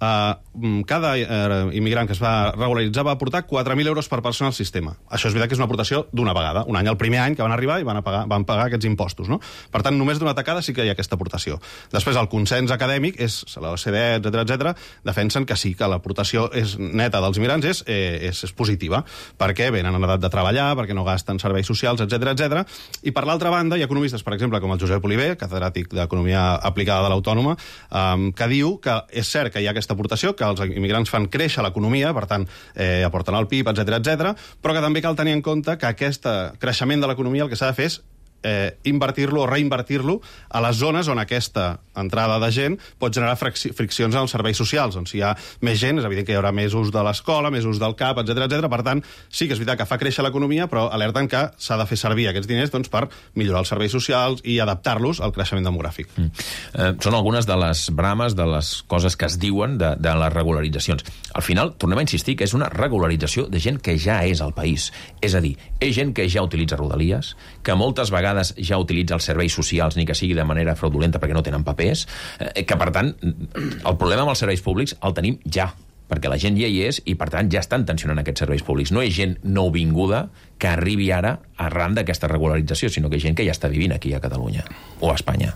Uh, cada uh, immigrant que es va regularitzar va aportar quatre mil euros per persona al sistema. Això és veritat que és una aportació d'una vegada. Un any, el primer any que van arribar i van, a pagar, van pagar aquests impostos, no? Per tant, només d'una tacada sí que hi ha aquesta aportació. Després, el consens acadèmic, és la O C D E, etcètera, etcètera, defensen que sí, que l'aportació és neta dels immigrants és, eh, és, és positiva, perquè venen en edat de treballar, perquè no gasten serveis socials, etcètera, etcètera. I per l'altra banda, hi ha economistes, per exemple, com el Josep Oliver, catedràtic d'Economia Aplicada de l'Autònoma, um, que diu que és cert que hi ha aquesta aportació, que els immigrants fan créixer l'economia, per tant, eh, aporten al P I B, etcètera, etcètera, però que també cal tenir en compte que aquest creixement de l'economia el que s'ha de fer és eh, invertir-lo o reinvertir-lo a les zones on aquesta entrada de gent pot generar friccions en els serveis socials. On si hi ha més gent, és evident que hi haurà més ús de l'escola, més ús del C A P, etcètera, etcètera. Per tant, sí que és veritat que fa créixer l'economia, però alerten que s'ha de fer servir aquests diners doncs, per millorar els serveis socials i adaptar-los al creixement demogràfic. Mm. Eh, són algunes de les brames, de les coses que es diuen de, de les regularitzacions. Al final, tornem a insistir que és una regularització de gent que ja és al país. És a dir, és gent que ja utilitza Rodalies, que moltes vegades ja utilitza els serveis socials, ni que sigui de manera fraudulenta perquè no tenen papers, eh, que per tant el problema amb els serveis públics el tenim ja, perquè la gent ja hi és i per tant ja estan tensionant aquests serveis públics. No és gent nouvinguda que arribi ara arran d'aquesta regularització, sinó que és gent que ja està vivint aquí a Catalunya o a Espanya.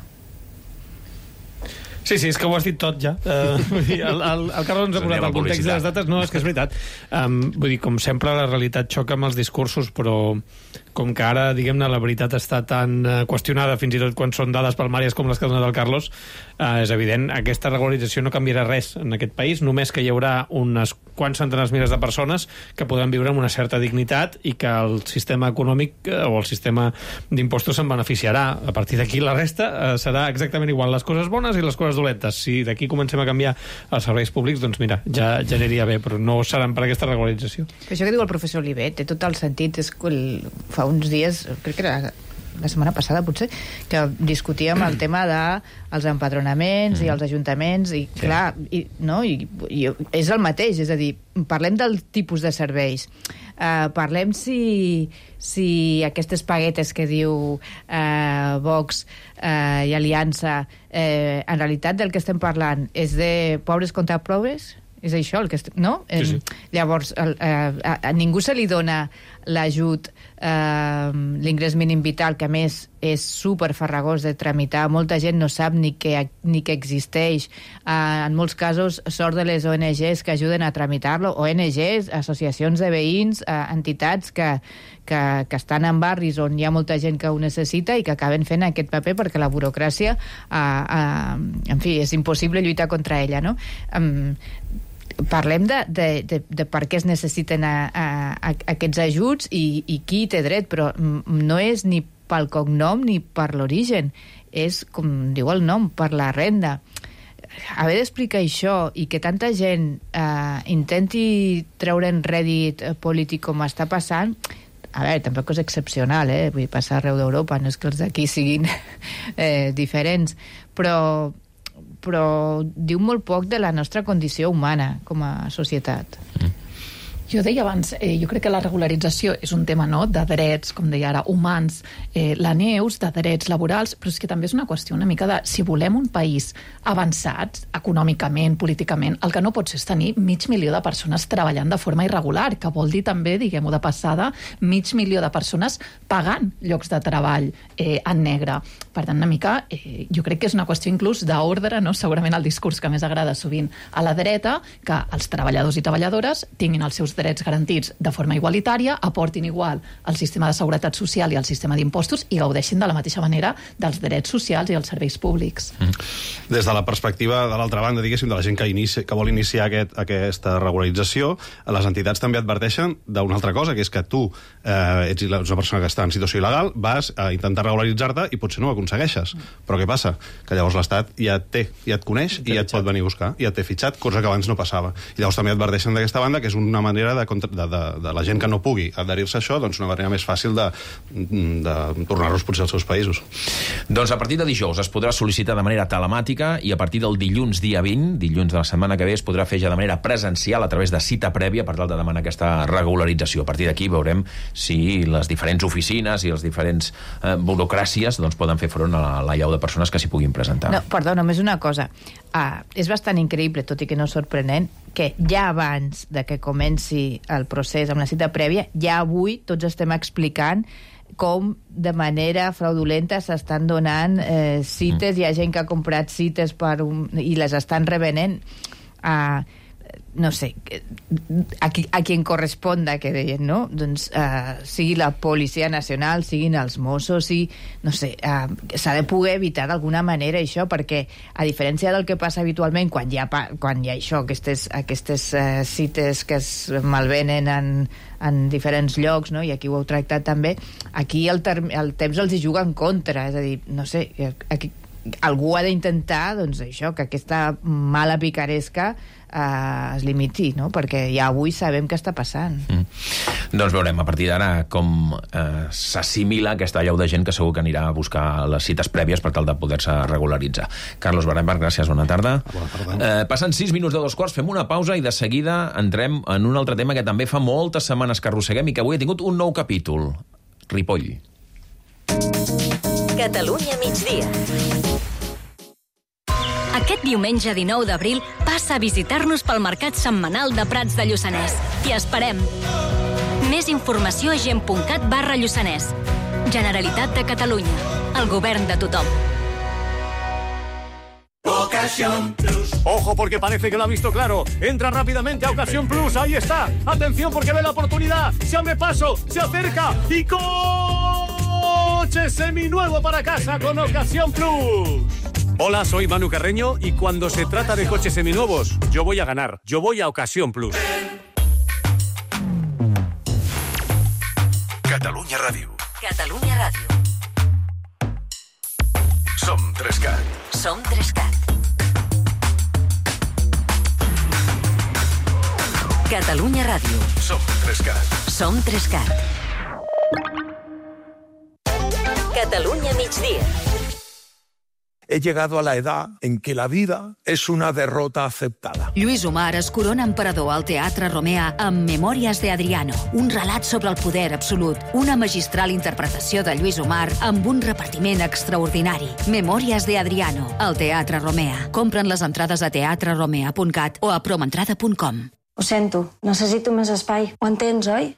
Sí, sí, és que ho has dit tot ja. Uh, el, el, el Carlos ens ha posat el context de les dates. No, és que és veritat. Um, vull dir, com sempre, la realitat xoca amb els discursos, però com que ara, diguem-ne, la veritat està tan uh, qüestionada, fins i tot quan són dades palmàries com les que ha donat el Carlos, uh, és evident, aquesta regularització no canviarà res en aquest país, només que hi haurà unes quants centenars milers de persones que podran viure amb una certa dignitat i que el sistema econòmic uh, o el sistema d'impostos se'n beneficiarà. A partir d'aquí, la resta uh, serà exactament igual, les coses bones i les coses dolentes. Si d'aquí comencem a canviar els serveis públics, doncs mira, ja, ja aniria bé, però no seran per aquesta regularització. Això que diu el professor Oliver té tot el sentit. És que el, fa uns dies, crec que era la setmana passada potser, que discutíem el tema dels empadronaments mm. i els ajuntaments i sí. clar, i, no? I, i és el mateix, és a dir, parlem del tipus de serveis, uh, parlem si, si aquestes paguetes que diu uh, Vox uh, i Aliança, uh, en realitat del que estem parlant és de pobres contra pobres? És això el que estem, no? Sí, sí. Llavors, el, eh, a, a ningú se li dona l'ajut, eh, l'ingrés mínim vital, que a més és super farragós de tramitar. Molta gent no sap ni que, ni que existeix. Eh, en molts casos, sort de les O N Ges que ajuden a tramitar-lo. O N Ges, associacions de veïns, eh, entitats que, que, que estan en barris on hi ha molta gent que ho necessita i que acaben fent aquest paper perquè la burocràcia, eh, eh, en fi, és impossible lluitar contra ella, no? Eh, parlem de, de, de, de per què es necessiten a, a, a aquests ajuts i, i qui té dret, però no és ni pel cognom ni per l'origen, és, com diu el nom, per la renda. Haver d'explicar això i que tanta gent eh, intenti treure'n rèdit polític com està passant, a veure, tampoc és excepcional, eh? Vull dir, passar arreu d'Europa, no és que els d'aquí siguin eh, diferents, però però diu molt poc de la nostra condició humana com a societat. Mm. Jo deia abans, eh, jo crec que la regularització és un tema, no?, de drets, com deia ara, humans, eh, la Neus, de drets laborals, però és que també és una qüestió una mica de si volem un país avançat econòmicament, políticament, el que no pot ser és tenir mig milió de persones treballant de forma irregular, que vol dir també, diguem-ho de passada, mig milió de persones pagant llocs de treball eh, en negre. Per tant, una mica, eh, jo crec que és una qüestió inclús d'ordre, no?, segurament el discurs que més agrada sovint a la dreta, que els treballadors i treballadores tinguin els seus drets garantits de forma igualitària, aportin igual al sistema de seguretat social i al sistema d'impostos i gaudeixin de la mateixa manera dels drets socials i els serveis públics. Mm. Des de la perspectiva, de l'altra banda, diguéssim, de la gent que, inici, que vol iniciar aquest, aquesta regularització, les entitats també adverteixen d'una altra cosa, que és que tu eh, ets una persona que està en situació il·legal, vas a intentar regularitzar-te i potser no ho aconsegueixes. Però què passa? Que llavors l'Estat ja et té, ja et coneix i ja et pot venir a buscar, ja et té fitxat, cosa que abans no passava. I llavors també adverteixen d'aquesta banda que és una manera De, de, de, de la gent que no pugui adherir-se a això, doncs una manera més fàcil de, de tornar-los potser als seus països. Doncs a partir de dijous es podrà sol·licitar de manera telemàtica i a partir del dilluns dia vint, dilluns de la setmana que ve, es podrà fer ja de manera presencial a través de cita prèvia per tal de demanar aquesta regularització. A partir d'aquí veurem si les diferents oficines i les diferents eh, burocràcies doncs, poden fer front a la llau de persones que s'hi puguin presentar. No, perdó, només una cosa. Ah, és bastant increïble, tot i que no sorprenent, que ja abans de que comenci el procés amb la cita prèvia, ja avui tots estem explicant com de manera fraudulenta s'estan donant eh, cites, mm. hi ha gent que ha comprat cites per un, i les estan revenent a... Eh, no sé, a qui, a qui en corresponda, que deien, no? Doncs uh, sigui la Policia Nacional, siguin els Mossos, i, no sé, uh, s'ha de poder evitar d'alguna manera això, perquè a diferència del que passa habitualment quan hi ha, quan hi ha això, aquestes, aquestes uh, cites que es malvenen en, en diferents llocs, no? I aquí ho heu tractat també, aquí el, term, el temps els hi juga en contra, és a dir, no sé, aquí algú ha d'intentar, doncs això, que aquesta mala picaresca eh, es limiti, no? Perquè ja avui sabem què està passant. Mm. Doncs veurem a partir d'ara com eh, s'assimila aquesta llau de gent que segur que anirà a buscar les cites prèvies per tal de poder-se regularitzar. Carlos Barenberg, gràcies, bona tarda. Bona tarda. Eh, passen sis minuts de dos quarts, fem una pausa i de seguida entrem en un altre tema que també fa moltes setmanes que arrosseguem i que avui ha tingut un nou capítol. Ripoll. Catalunya migdia. Aquest diumenge dinou d'abril passa a visitar-nos pel Mercat Setmanal de Prats de Lluçanès. T'hi esperem. Més informació a gent punt cat barra Lluçanès. Generalitat de Catalunya. El govern de tothom. Ocasión Plus. Ojo, porque parece que lo ha visto claro. Entra rápidamente a Ocasión Plus. Ahí está. Atención, porque ve la oportunidad. Se abre paso, se acerca y coche seminuevo para casa con Ocasión Plus. Hola, soy Manu Carreño y cuando se trata de coches seminuevos, yo voy a ganar. Yo voy a Ocasión Plus. Catalunya Ràdio. Catalunya Ràdio. Som tres cat. Som tres cat. Catalunya Ràdio. Som tres cat. Som tres cat. Catalunya migdia. He llegado a la edad en que la vida es una derrota aceptada. Lluís Omar es corona emperador al Teatre Romea amb Memòries de Adriano, un relat sobre el poder absolut, una magistral interpretació de Lluís Omar amb un repartiment extraordinari. Memòries de Adriano, al Teatre Romea. Compren les entrades a teatre romea punt cat o a promentrada punt com. Ho sento, necessito més espai. Ho entens, oi?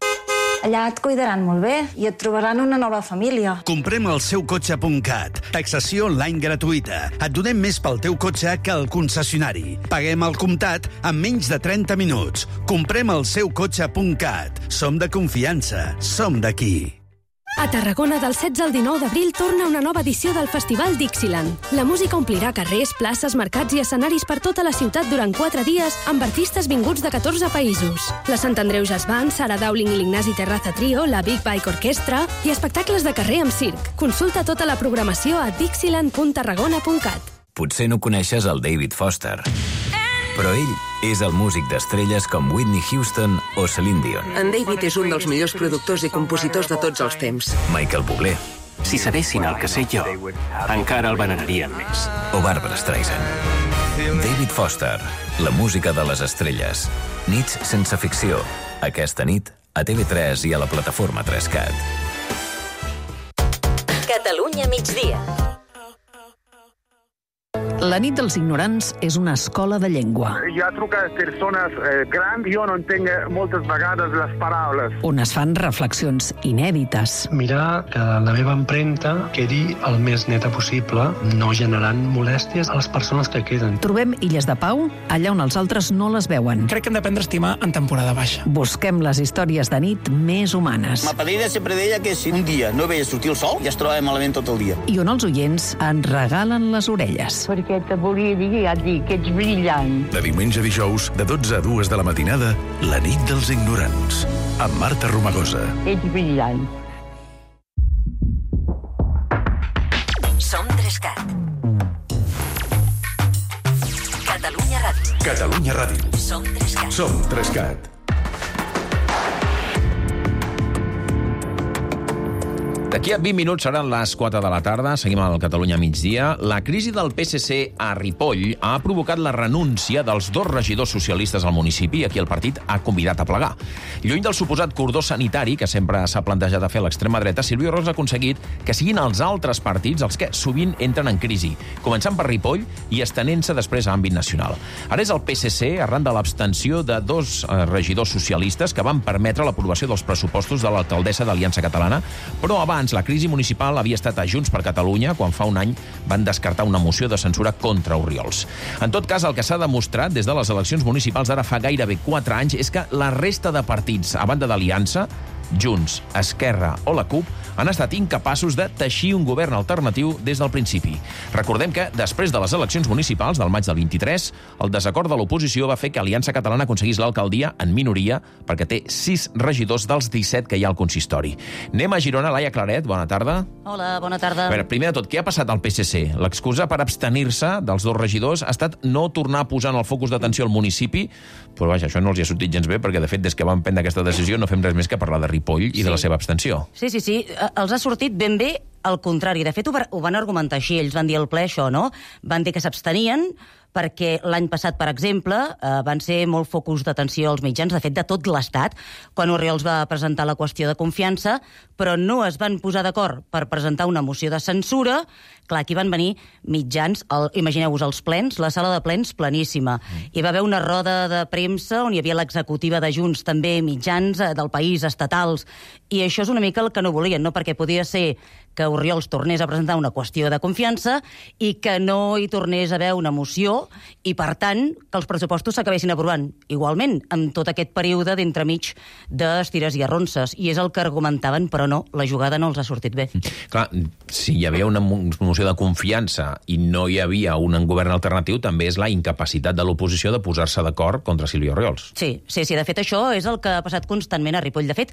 Allà et cuidaran molt bé i et trobaran una nova família. Comprem el seu cotxe punt cat. Taxació online gratuïta. Et donem més pel teu cotxe que el concessionari. Paguem al comptat en menys de trenta minuts. Comprem el seu cotxe punt cat. Som de confiança. Som d'aquí. A Tarragona, del setze al dinou d'abril, torna una nova edició del Festival Dixieland. La música omplirà carrers, places, mercats i escenaris per tota la ciutat durant quatre dies amb artistes vinguts de catorze països. La Sant Andreu Jazz Band, Sara Dowling i l'Ignasi Terraza Trio, la Big Bike Orquestra i espectacles de carrer amb circ. Consulta tota la programació a dixieland punt tarragona punt cat. Potser no coneixes el David Foster, però ell és el músic d'estrelles com Whitney Houston o Celine Dion. En David és un dels millors productors i compositors de tots els temps. Michael Bublé. Si sabessin el que sé jo, encara el venerarien més. O Barbra Streisand. David Foster, la música de les estrelles. Nits sense ficció. Aquesta nit a T V tres i a la plataforma Trescat. Catalunya migdia. La nit dels ignorants és una escola de llengua. Hi ha trucat persones eh, grans, jo no entenc moltes vegades les paraules. On es fan reflexions inèdites. Mirar que la meva empremta quedi el més neta possible, no generant molèsties a les persones que queden. Trobem illes de pau allà on els altres no les veuen. Crec que hem d'aprendre a estimar en temporada baixa. Busquem les històries de nit més humanes. Ma padrina sempre deia que si un dia no veia sortir el sol, ja es trobava malament tot el dia. I on els oients ens regalen les orelles. Perquè te volia dir, ja et dic, que ets brillant. De diumenge a dijous, de dotze a dues de la matinada, La nit dels ignorants, amb Marta Romagosa. Ets brillant. Som Trescat. Catalunya Ràdio. Catalunya Ràdio. Som Trescat. Som Trescat. D'aquí a vint minuts seran les quatre de la tarda, seguim al Catalunya migdia. La crisi del P S C a Ripoll ha provocat la renúncia dels dos regidors socialistes al municipi, a qui el partit ha convidat a plegar. Lluny del suposat cordó sanitari que sempre s'ha plantejat a fer l'extrema dreta, Silvio Rols ha aconseguit que siguin els altres partits els que sovint entren en crisi, començant per Ripoll i estenent-se després a àmbit nacional. Ara és el P S C, arran de l'abstenció de dos eh, regidors socialistes que van permetre l'aprovació dels pressupostos de l'alcaldessa d'Aliança Catalana, però abans la crisi municipal havia estat a Junts per Catalunya quan fa un any van descartar una moció de censura contra Oriols. En tot cas, el que s'ha demostrat des de les eleccions municipals d'ara fa gairebé quatre anys és que la resta de partits, a banda d'Aliança, Junts, Esquerra o la CUP, han estat incapaços de teixir un govern alternatiu des del principi. Recordem que, després de les eleccions municipals del maig del vint-i-tres, el desacord de l'oposició va fer que Aliança Catalana aconseguís l'alcaldia en minoria perquè té sis regidors dels disset que hi ha al consistori. Anem a Girona. Laia Claret, bona tarda. Hola, bona tarda. A veure, primer de tot, què ha passat al P S C? L'excusa per abstenir-se dels dos regidors ha estat no tornar a posar en el focus d'atenció al municipi, però vaja, això no els hi ha sortit gens bé, perquè de fet, des que van prendre aquesta decisió no fem res més que parlar de Ripoll i sí. de la seva abstenció. Sí, sí, sí. Els ha sortit ben bé al contrari. De fet, ho van argumentar així. Ells van dir al ple això, no? Van dir que s'abstenien perquè l'any passat, per exemple, eh, van ser molt focus d'atenció als mitjans, de fet, de tot l'Estat, quan Oriols va presentar la qüestió de confiança, però no es van posar d'acord per presentar una moció de censura. Clar, aquí van venir mitjans, el, imagineu-vos, els plens, la sala de plens pleníssima. Mm. Hi va haver una roda de premsa on hi havia l'executiva de Junts, també mitjans eh, del país, estatals, i això és una mica el que no volien, no? Perquè podia ser que Oriols tornés a presentar una qüestió de confiança i que no hi tornés a haver una moció i, per tant, que els pressupostos s'acabessin aprovant igualment, amb tot aquest període d'entremig d'estires i arronses. I és el que argumentaven, però no, la jugada no els ha sortit bé. Clar, si hi havia una moció de confiança i no hi havia un govern alternatiu, també és la incapacitat de l'oposició de posar-se d'acord contra Silvio Oriols. Sí, sí, sí, de fet això és el que ha passat constantment a Ripoll. De fet,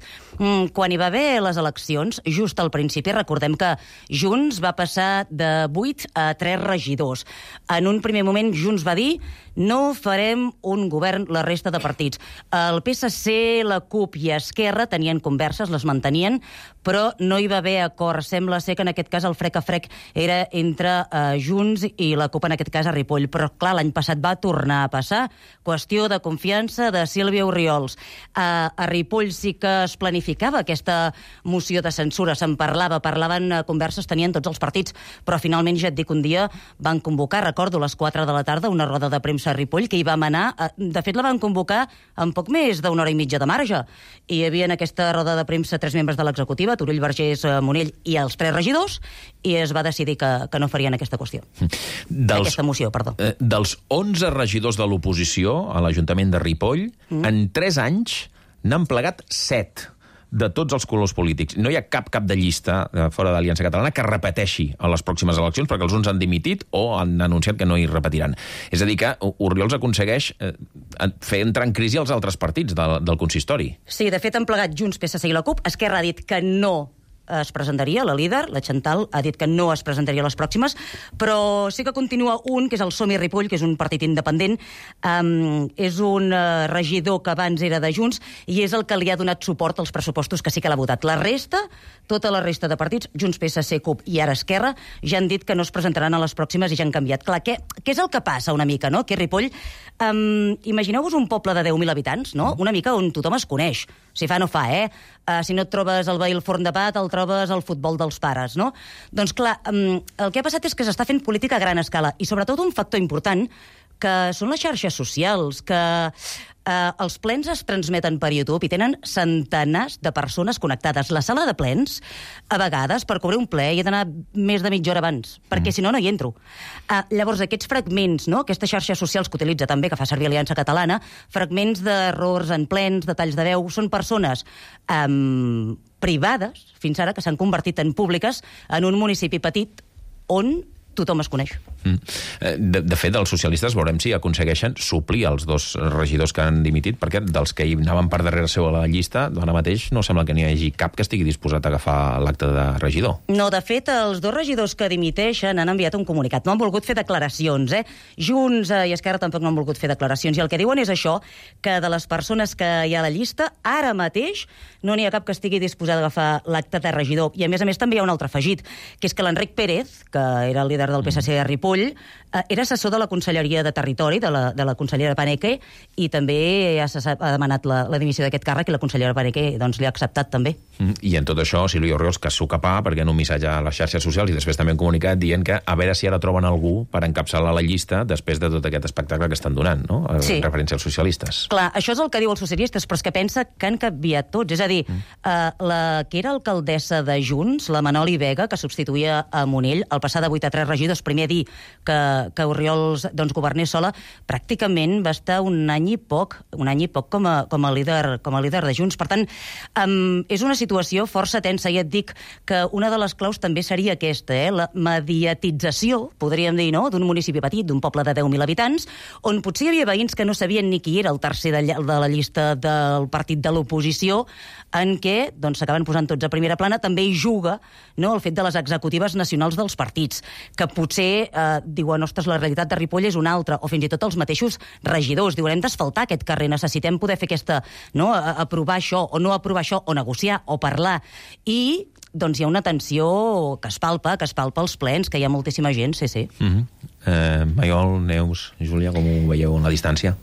quan hi va haver les eleccions, just al principi, recordem que Junts va passar de vuit a tres regidors. En un primer moment Junts va dir no farem un govern la resta de partits. El P S C, la CUP i Esquerra tenien converses, les mantenien, però no hi va haver acord. Sembla ser que en aquest cas el frec a frec era entre uh, Junts i la CUP, en aquest cas a Ripoll. Però clar, l'any passat va tornar a passar. Qüestió de confiança de Sílvia Oriols. Uh, a Ripoll sí que es planificava aquesta moció de censura, se'n parlava, parlaven uh, converses, tenien tots els partits, però finalment ja et dic un dia van convocar, recordo, a les quatre de la tarda, una roda de premsa a Ripoll, que hi vam anar, de fet la van convocar amb poc més d'una hora i mitja de marge. I hi havia en aquesta roda de premsa tres membres de l'executiva, Turull, Vergés, Monell i els tres regidors, i es va decidir que, que no farien aquesta qüestió. Dels, aquesta moció, perdó. Eh, dels onze regidors de l'oposició a l'Ajuntament de Ripoll, mm. en tres anys n'han plegat set de tots els colors polítics. No hi ha cap cap de llista fora d'Aliança Catalana que repeteixi a les pròximes eleccions, perquè els uns han dimitit o han anunciat que no hi repetiran. És a dir, que Oriols aconsegueix fer entrar en crisi els altres partits del, del consistori. Sí, de fet han plegat Junts, P S C i la CUP. Esquerra ha dit que no es presentaria, la líder, la Chantal, ha dit que no es presentaria a les pròximes, però sí que continua un, que és el Som-hi Ripoll, que és un partit independent, um, és un uh, regidor que abans era de Junts, i és el que li ha donat suport als pressupostos que sí que l'ha votat. La resta, tota la resta de partits, Junts, P S C, CUP i ara Esquerra, ja han dit que no es presentaran a les pròximes i ja han canviat. Clar, què, què és el que passa una mica, no? Que Ripoll, um, imagineu-vos un poble de deu mil habitants, no? Una mica on tothom es coneix. Si fa, no fa, eh? Uh, si no et trobes el veí al forn de pa, el trobes al futbol dels pares, no? Doncs clar, um, el que ha passat és que s'està fent política a gran escala i sobretot un factor important que són les xarxes socials, que eh, els plens es transmeten per YouTube i tenen centenars de persones connectades. La sala de plens, a vegades, per cobrir un ple, hi he d'anar més de mitja hora abans, perquè si no, no hi entro. Eh, llavors, aquests fragments, no?, aquestes xarxes socials que utilitza també, que fa servir Aliança Catalana, fragments d'errors en plens, de talls de veu, són persones eh, privades, fins ara, que s'han convertit en públiques en un municipi petit on tothom es coneix. Mm. De, de fet, els socialistes veurem si aconsegueixen suplir els dos regidors que han dimitit, perquè dels que hi anaven per darrere seu a la llista, ara mateix no sembla que n'hi hagi cap que estigui disposat a agafar l'acte de regidor. No, de fet, els dos regidors que dimiteixen han enviat un comunicat. No han volgut fer declaracions, eh? Junts i Esquerra tampoc no han volgut fer declaracions. I el que diuen és això, que de les persones que hi ha a la llista, ara mateix no n'hi ha cap que estigui disposat a agafar l'acte de regidor. I, a més a més, també hi ha un altre afegit, que és que l'Enric Pérez, que era el líder del P S C de Ripoll, eh, era assessor de la Conselleria de Territori, de la, de la consellera Paneque, i també ha, ha demanat la, la dimissió d'aquest càrrec, i la consellera Paneque doncs, li ha acceptat també. Mm, I en tot això, Sílvia Orriols, que s'ho capà, perquè en un missatge a les xarxes socials i després també un comunicat dient que a veure si ara troben algú per encapçalar la llista després de tot aquest espectacle que estan donant, no? En sí. referència als socialistes. Clar, això és el que diu els socialistes, però és que pensa que han canviat tots. És a dir, mm. eh, la que era alcaldessa de Junts, la Manoli Vega, que substituïa a Monell, el passar de vuit a tres regidors, primer dir que, que Orriols doncs, governés sola, pràcticament va estar un any i poc, un any i poc com a, com a, líder, com a líder de Junts. Per tant, um, és una situació força tensa, i et dic que una de les claus també seria aquesta, eh? La mediatització, podríem dir, no?, d'un municipi petit, d'un poble de deu mil habitants, on potser hi havia veïns que no sabien ni qui era el tercer de, de la llista del partit de l'oposició, en què doncs, s'acaben posant tots a primera plana. També hi juga, no?, el fet de les executives nacionals dels partits, que potser eh, diuen, ostres, la realitat de Ripoll és una altra, o fins i tot els mateixos regidors diuen, hem d'asfaltar aquest carrer, necessitem poder fer aquesta, no?, aprovar això, o no aprovar això, o negociar, o parlar. I doncs hi ha una tensió que es palpa, que es palpa als plens, que hi ha moltíssima gent, sí, sí. Mm-hmm. eh, Maiol, Neus, Júlia, com ho veieu en la distància?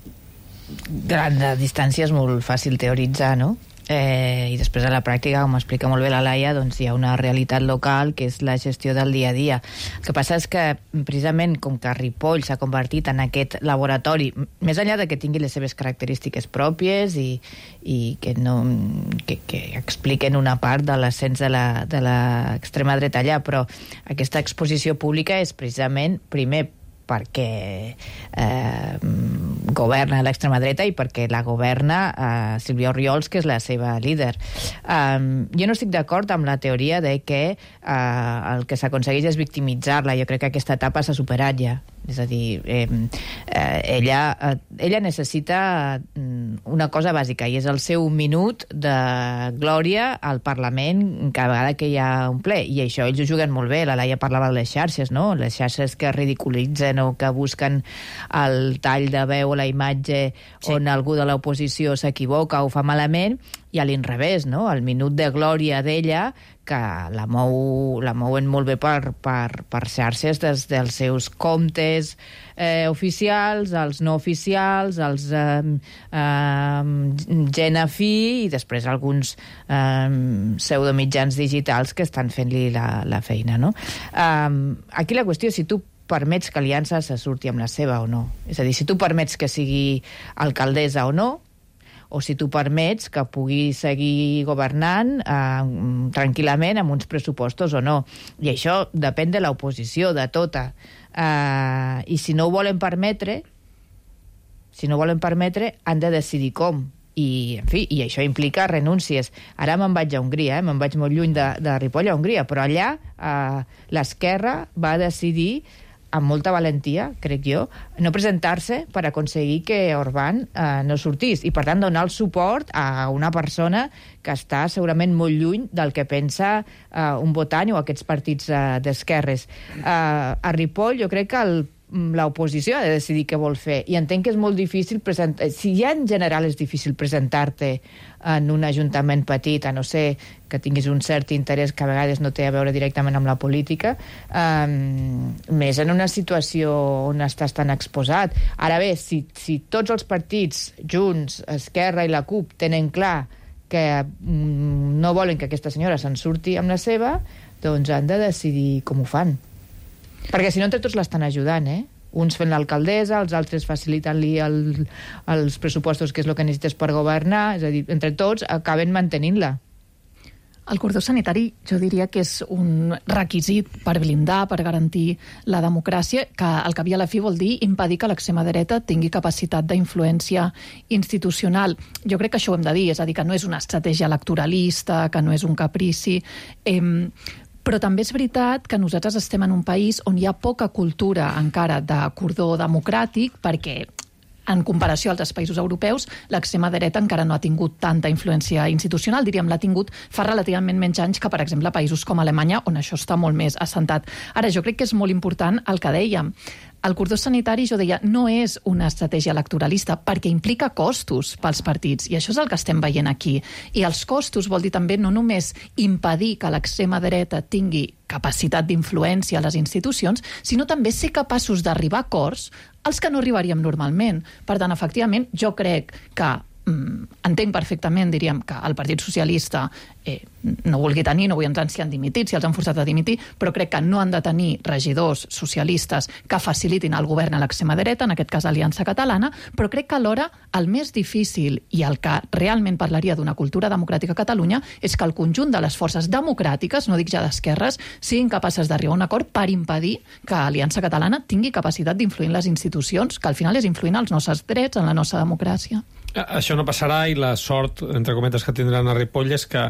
Gran de distància és molt fàcil teoritzar, no? Eh, i després a la pràctica, com explica molt bé la Laia, doncs hi ha una realitat local que és la gestió del dia a dia. El que passa és que precisament com que Ripoll s'ha convertit en aquest laboratori, més enllà de que tingui les seves característiques pròpies i, i que, no, que, que expliquen una part de l'ascens de l'extrema dreta allà, però aquesta exposició pública és precisament, primer, perquè eh, governa l'extrema dreta i perquè la governa eh, Sílvia Orriols, que és la seva líder. Um, jo no estic d'acord amb la teoria de que eh, el que s'aconsegueix és victimitzar-la. Jo crec que aquesta etapa s'ha superat ja. És a dir, eh, eh, ella, eh, ella necessita una cosa bàsica, i és el seu minut de glòria al Parlament cada vegada que hi ha un ple. I això ells ho juguen molt bé. La Laia parlava de les xarxes, no? Les xarxes que ridiculitzen o que busquen el tall de veu o la imatge sí. on algú de l'oposició s'equivoca o fa malament, i a l'inrevés, no? El minut de glòria d'ella, que la, mou, la mouen molt bé per, per, per xarxes des dels seus comptes eh, oficials, els no oficials, els eh, eh, gent afí, i després alguns eh, pseudomitjans digitals que estan fent-li la, la feina, no? Eh, aquí la qüestió és si tu permets que Aliança se surti amb la seva o no. És a dir, si tu permets que sigui alcaldessa o no, o si tu permets que pugui seguir governant eh, tranquil·lament amb uns pressupostos o no. I això depèn de l'oposició, de tota. Eh, I si no ho volen permetre, si no volen permetre, han de decidir com. I, en fi, i això implica renúncies. Ara me'n vaig a Hongria, eh? me'n vaig molt lluny de, de Ripoll a Hongria, però allà eh, l'esquerra va decidir amb molta valentia, crec jo, no presentar-se per aconseguir que Orbán eh, no sortís i, per tant, donar el suport a una persona que està segurament molt lluny del que pensa eh, un votant o aquests partits eh, d'esquerres. Eh, a Ripoll jo crec que el l'oposició ha de decidir què vol fer, i entenc que és molt difícil presentar... Si ja en general és difícil presentar-te en un ajuntament petit, a no ser que tinguis un cert interès que a vegades no té a veure directament amb la política, eh, més en una situació on estàs tan exposat. Ara bé, si, si tots els partits, Junts, Esquerra i la CUP, tenen clar que mm, no volen que aquesta senyora se'n surti amb la seva, doncs han de decidir com ho fan. Perquè si no, entre tots l'estan ajudant, eh? Uns fent l'alcaldessa, els altres facilitant-li el, els pressupostos, que és el que necessites per governar, és a dir, entre tots acaben mantenint-la. El cordó sanitari jo diria que és un requisit per blindar, per garantir la democràcia, que al cap i a la fi vol dir impedir que l'extrema dreta tingui capacitat d'influència institucional. Jo crec que això ho hem de dir, és a dir, que no és una estratègia electoralista, que no és un caprici... Eh, Però també és veritat que nosaltres estem en un país on hi ha poca cultura encara de cordó democràtic, perquè en comparació a altres països europeus, l'extrema dreta encara no ha tingut tanta influència institucional, diríem, l'ha tingut fa relativament menys anys que, per exemple, països com Alemanya, on això està molt més assentat. Ara, jo crec que és molt important el que dèiem. El cordó sanitari, jo deia, no és una estratègia electoralista, perquè implica costos pels partits, i això és el que estem veient aquí. I els costos vol dir també no només impedir que l'extrema dreta tingui capacitat d'influència a les institucions, sinó també ser capaços d'arribar a acords als que no arribaríem normalment. Per tant, efectivament, jo crec que entenc perfectament, diríem, que el Partit Socialista eh, no vulgui tenir, no vull entrar si han dimitit, si els han forçat a dimitir, però crec que no han de tenir regidors socialistes que facilitin el govern a l'extrema dreta, en aquest cas Aliança Catalana, però crec que alhora el més difícil i el que realment parlaria d'una cultura democràtica a Catalunya és que el conjunt de les forces democràtiques, no dic ja d'esquerres, siguin capaces d'arribar a un acord per impedir que Aliança Catalana tingui capacitat d'influir en les institucions, que al final és influir en els nostres drets, en la nostra democràcia. Això no passarà, i la sort, entre cometes, que tindran a Ripoll és que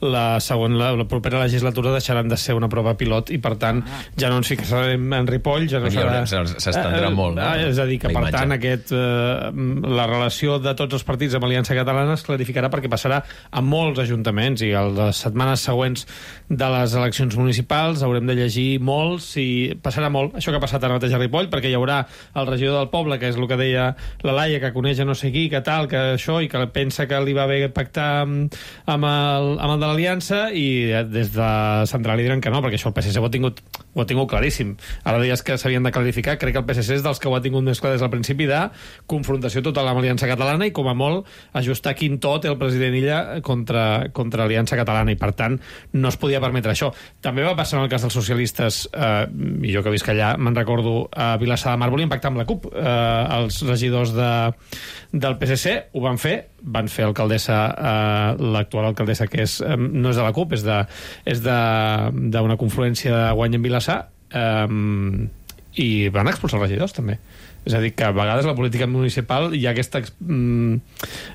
la següent, la, la propera legislatura deixaran de ser una prova pilot i, per tant, ja no ens ficarem en Ripoll, ja no serà... S'estendrà molt, no? És a dir, que, per tant, aquest, eh, la relació de tots els partits amb Aliança Catalana es clarificarà perquè passarà a molts ajuntaments, i a les setmanes següents de les eleccions municipals haurem de llegir molts, i passarà molt això que ha passat ara mateix a Ripoll, perquè hi haurà el regidor del poble, que és el que deia la Laia, que coneix a no sé qui, que tal, que això, i que pensa que li va bé pactar amb, amb, el, amb el de l'Aliança, i des de central li diran que no, perquè això el P S C ho ha tingut, ho ha tingut claríssim. Ara deies que s'havien de clarificar, crec que el P S C és dels que ho ha tingut més clar des del principi, de confrontació total amb Aliança Catalana, i com a molt ajustar quin to té el president Illa contra, contra Aliança Catalana, i per tant no es podia permetre això. També va passar en el cas dels socialistes, eh, i jo que visc allà me'n recordo, a Vilassar de Mar volien pactar amb la CUP, eh, els regidors de, del P S C ho van fer, van fer alcaldessa, eh, l'actual alcaldessa, que és, eh, no és de la CUP, és de, és de, d'una confluència de Guany en Vilassar, eh, i van expulsar els regidors també. És a dir, que a vegades la política municipal hi ha aquesta, mm,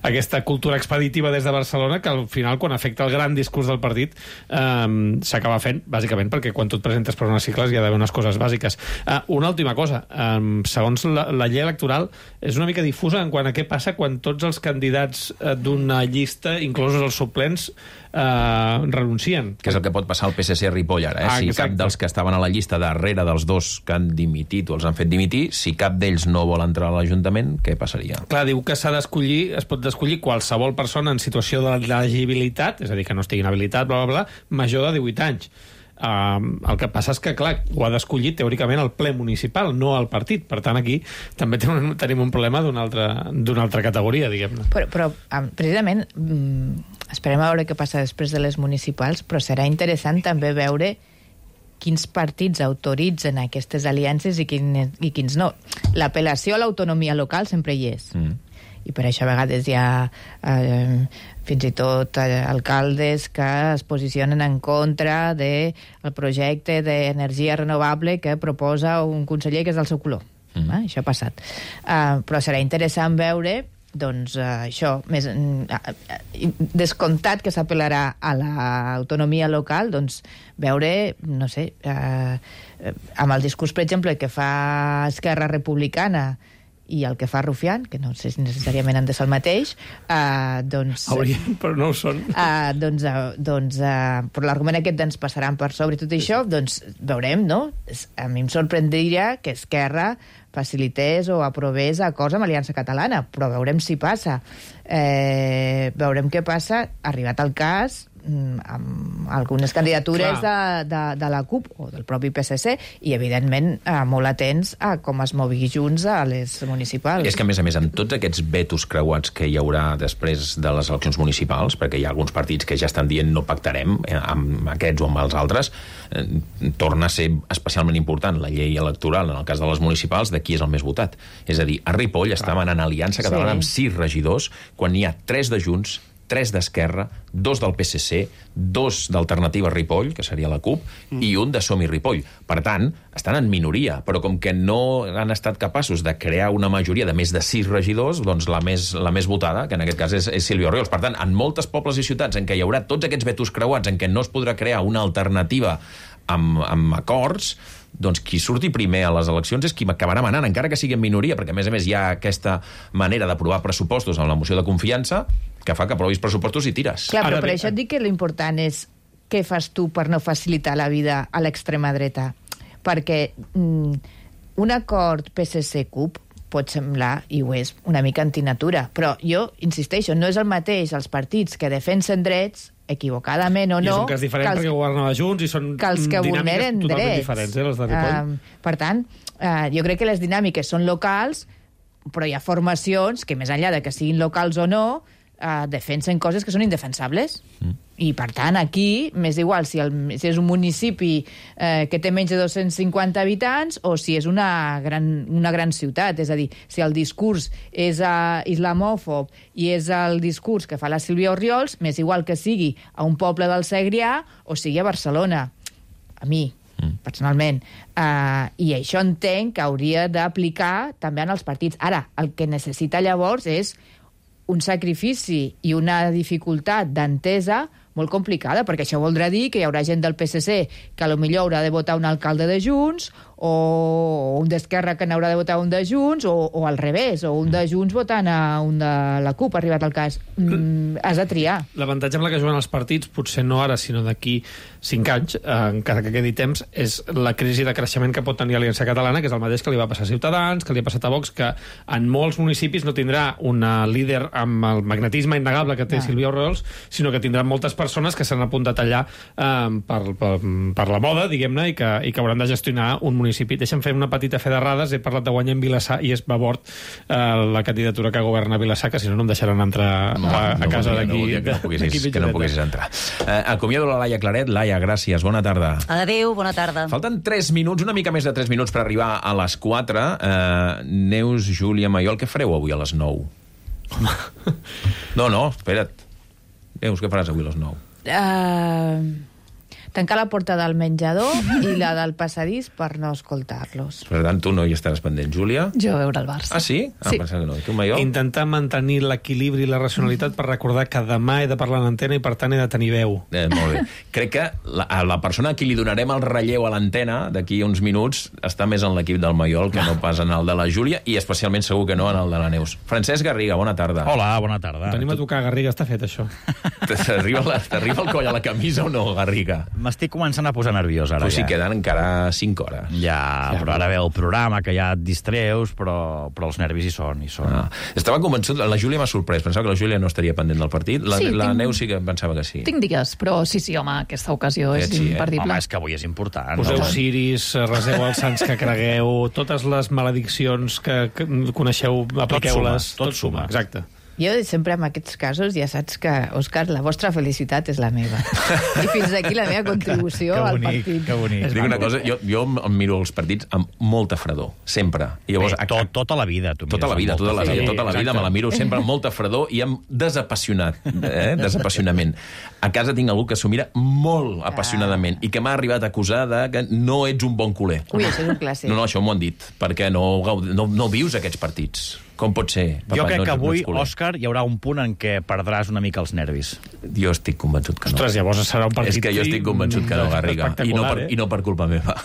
aquesta cultura expeditiva des de Barcelona que al final, quan afecta el gran discurs del partit, eh, s'acaba fent, bàsicament perquè quan tu et presentes per unes cicles hi ha d'haver unes coses bàsiques. Eh, una última cosa, eh, segons la, la llei electoral és una mica difusa en quant a què passa quan tots els candidats eh, d'una llista, inclosos els suplents, eh, renuncien. Que és el que pot passar al P S C a Ripoll ara, eh? Ah, si exacte. Cap dels que estaven a la llista darrere dels dos que han dimitit o els han fet dimitir, si cap d'ells no vol entrar a l'Ajuntament, què passaria? Clar, diu que s'ha d'escollir, es pot escollir qualsevol persona en situació d'elegibilitat, és a dir, que no estigui inhabilitat, bla, bla, bla, major de divuit anys. Uh, el que passa és que, clar, ho ha d'escollir teòricament el ple municipal, no el partit. Per tant, aquí també tenim, tenim un problema d'una altra, d'una altra categoria, diguem-ne. Però, però precisament, esperem a veure què passa després de les municipals, però serà interessant també veure quins partits autoritzen aquestes aliances i, quin, i quins no. L'apel·lació a l'autonomia local sempre hi és. Mm. I per això a vegades hi ha eh, fins i tot eh, alcaldes que es posicionen en contra del projecte d'energia renovable que proposa un conseller que és del seu color. Mm. Eh? Això ha passat. Uh, però serà interessant veure doncs uh, això, més, uh, descomptat que s'apel·larà a l'autonomia local, doncs veure, no sé, uh, amb el discurs, per exemple, que fa Esquerra Republicana i el que fa Rufián, que no sé si necessàriament han de ser el mateix, uh, doncs... Haurien, però no ho són. Uh, doncs, uh, doncs uh, per l'argument aquest ens passaran per sobre tot això, doncs veurem, no? A mi em sorprendria que Esquerra facilités o aprovés acords amb Aliança Catalana, però veurem si passa. Eh, veurem què passa, arribat el cas, amb algunes candidatures de, de, de la CUP o del propi P S C i, evidentment, eh, molt atents a com es mogui Junts a les municipals. És que, a més a més, amb tots aquests vetos creuats que hi haurà després de les eleccions municipals, perquè hi ha alguns partits que ja estan dient no pactarem eh, amb aquests o amb els altres, eh, torna a ser especialment important la llei electoral, en el cas de les municipals, de qui és el més votat. És a dir, a Ripoll està manant Aliança Catalana sí. amb sis regidors, quan n'hi ha tres de Junts, tres d'Esquerra, dos del P S C, dos d'Alternativa Ripoll, que seria la CUP, mm. i un de Som-hi Ripoll. Per tant, estan en minoria, però com que no han estat capaços de crear una majoria de més de sis regidors, doncs la més, la més votada, que en aquest cas és, és Sílvia Orriols. Per tant, en moltes pobles i ciutats en què hi haurà tots aquests vetos creuats, en què no es podrà crear una alternativa amb, amb acords, doncs qui surti primer a les eleccions és qui acabarà manant, encara que sigui en minoria, perquè a més a més hi ha aquesta manera d'aprovar pressupostos amb la moció de confiança que fa que aprovis pressupostos i tires. Clar, però per això et dic que l'important és què fas tu per no facilitar la vida a l'extrema dreta. Perquè mm, un acord P S C-CUP pot semblar, i ho és, una mica antinatura, però jo insisteixo, no és el mateix els partits que defensen drets equivocadament o no... I és un cas diferent perquè governava Junts i són que els que dinàmiques totalment drets. diferents, eh, les de Ripoll. Uh, per tant, uh, jo crec que les dinàmiques són locals, però hi ha formacions que, més enllà de que siguin locals o no, uh, defensen coses que són indefensables. Mm. I, per tant, aquí m'és igual si, el, si és un municipi eh, que té menys de dos-cents cinquanta habitants o si és una gran, una gran ciutat. És a dir, si el discurs és uh, islamòfob i és el discurs que fa la Sílvia Orriols, m'és igual que sigui a un poble del Segrià o sigui a Barcelona. A mi, mm. personalment. Uh, I això entenc que hauria d'aplicar també en els partits. Ara, el que necessita llavors és un sacrifici i una dificultat d'entesa molt complicada, perquè això voldrà dir que hi haurà gent del P S C que potser haurà de votar un alcalde de Junts, o un d'Esquerra que n'haurà de votar un de Junts, o, o al revés, o un de Junts votant a un de la CUP, arribat al cas. Mm, has de triar. L'avantatge amb la que juguen els partits, potser no ara, sinó d'aquí cinc anys, eh, encara que quedi temps, és la crisi de creixement que pot tenir Aliança Catalana, que és el mateix que li va passar a Ciutadans, que li ha passat a Vox, que en molts municipis no tindrà una líder amb el magnetisme innegable que té ah. Sílvia Orriols, sinó que tindrà moltes persones que s'han apuntat allà eh, per, per, per la moda, diguem-ne, i, que, i que hauran de gestionar un municipi. Deixa'm fer una petita fe d'errades. He parlat de guanyar en Vilassar i és babord eh, la candidatura que governa Vilassar, que si no no em deixaran entrar no, a, a no casa d'aquí. No, que no poguessis, que no poguessis entrar. Eh, acomiado la Laia Claret. Laia, gràcies. Bona tarda. Adéu, bona tarda. Falten tres minuts, una mica més de tres minuts per arribar a les quatre. Eh, Neus, Júlia, Maiol, què fareu avui a les nou? No, no, espera't. Neus, què faràs avui a les nou? Uh, tancar la porta del menjador i la del passadís per no escoltar-los. Per tant, tu no hi estaràs pendent. Júlia? Jo a veure el Barça. Ah, sí? Ah, sí. Que no. Tu, Maiol? Intentar mantenir l'equilibri i la racionalitat per recordar que demà he de parlar en antena i per tant he de tenir veu. Eh, molt bé. Crec que la, a la persona a qui li donarem el relleu a l'antena d'aquí uns minuts està més en l'equip del Maiol que no pas en el de la Júlia i especialment segur que no en el de la Neus. Francesc Garriga, bona tarda. Hola, bona tarda. Tenim a tocar, Garriga, està fet això. T'arriba el coll a la camisa o no, Garriga? M'estic començant a posar nerviós ara. Pues sí, ja. Queden encara cinc hores. Ja, ja però ara ve el programa, que ja et distreus, però, però els nervis hi són. Hi són. Ah, estava convençut, la Júlia m'ha sorprès, pensava que la Júlia no estaria pendent del partit, la, sí, la tinc... Neus sí que pensava que sí. Tinc digues, però sí, sí, home, aquesta ocasió és sí, imperdible. Eh? Home, és que avui és important. Poseu no? ciris, reseu els sants que cregueu, totes les malediccions que, que coneixeu, apliqueu-les. Tot suma, tot suma. Exacte. Jo sempre en aquests casos ja saps que, Òscar, la vostra felicitat és la meva. I fins aquí la meva contribució que al bonic, partit. Que bonic. Dic una cosa, jo, jo em miro els partits amb molta fredor, sempre. I llavors, Bé, tot, tota la vida. Tu tota la vida, tota la vida, sí, tota la vida me la miro sempre amb molta fredor i amb desapassionat, eh? desapassionament. A casa tinc algú que s'ho mira molt apassionadament i que m'ha arribat a acusar de que no ets un bon culer. Ui, això és un clàssic. No, no, això m'ho han dit, perquè no, no, no vius aquests partits. Com pot ser? Jo crec no, que avui, no Òscar, hi haurà un punt en què perdràs una mica els nervis. Jo estic convençut que no. Ostres, llavors serà un partit... És que jo estic convençut que no, Garriga. I no, per, eh? I no per culpa meva.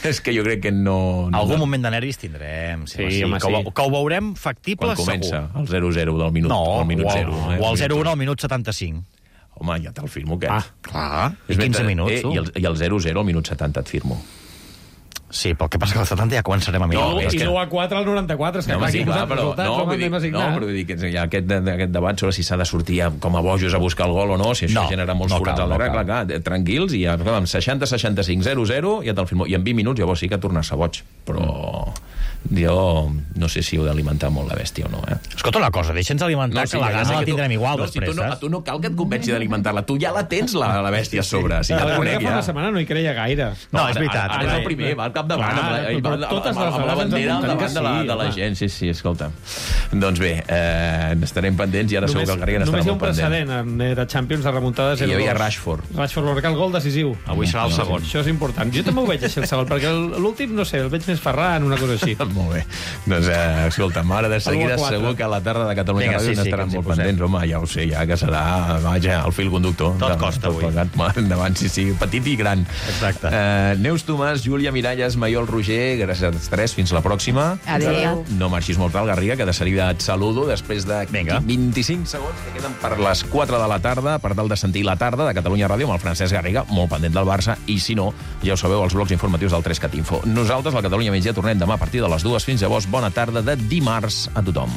És que jo crec que no... no Algun moment de nervis tindrem. Sí, sí, sí, home, que, sí. Ho, que ho veurem factible, segur. Quan comença segur. el zero zero del minut, no, el minut o, zero. Eh? O el zero un al minut setanta-cinc. Home, ja te'l firmo, aquest. Ah, clar. I quinze minuts, eh, i, el, I el zero zero al minut setanta et firmo. Sí, però el que passa que al setanta ja començarem a mirar. No, I l'u a quatre al noranta-quatre, és que no, clar, sí, aquí clar, posat però, resultats, no, vull dir, no, però vull dir que hi ha aquest, aquest debat sobre si s'ha de sortir com a bojos a buscar el gol o no, si això no, genera molts no forats cal, al darrere, no clar, clar, tranquils, i ja, amb seixanta seixanta-cinc zero zero, ja te'l firmo. I en vint minuts llavors sí que tornar-se boig, però jo no sé si heu d'alimentar molt la bèstia o no, eh? Escolta una cosa, deixa'ns alimentar, no, sí, que la gana la tindrem tu, igual no, després, si tu no, saps? a tu no cal que et convenci d'alimentar-la, tu ja la tens, la, la bèstia a sobre. Si sí, ja la conec, fa ja. una setmana no hi creia gaire. No, no és veritat. Ara, ara és el primer, va al capdavant, amb, la, amb, la, totes les amb la bandera al davant de la, de la gent. Sí, sí, escolta. Doncs bé, eh, estarem pendents i ara segur que el Garriga n'estarà molt pendent. Només hi ha un precedent de Champions de remuntada zero dos. Hi havia Rashford. Rashford va marcar el gol decisiu. Avui serà el segon. Això és important. Jo també ho veig així, el segon, perquè l'últim, no sé, el veig més Ferran, una cosa així. Molt bé. Doncs, eh, escolta, ara de seguida segur que a la tarda de Catalunya Ràdio sí, n'estaran sí, molt pendents. Home, ja ho sé, ja que serà, vaja, el fil conductor. Tot de, costa tot avui. Plegat, endavant, sí, sí, petit i gran. Exacte. Uh, Neus Tomàs, Júlia Miralles, Maiol Roger, gràcies als tres, fins la pròxima. Adéu. No marxis molt al Garriga, que de seguida et saludo després de Vinga. vint-i-cinc segons que queden per les quatre de la tarda, per tal de sentir la tarda de Catalunya Ràdio amb el Francesc Garriga, molt pendent del Barça, i si no, ja ho sabeu, els blocs informatius del tres cat info. Nosaltres, la Catalunya Migdia, tornem demà a partir de les dues. Fins llavors, bona tarda de dimarts a tothom.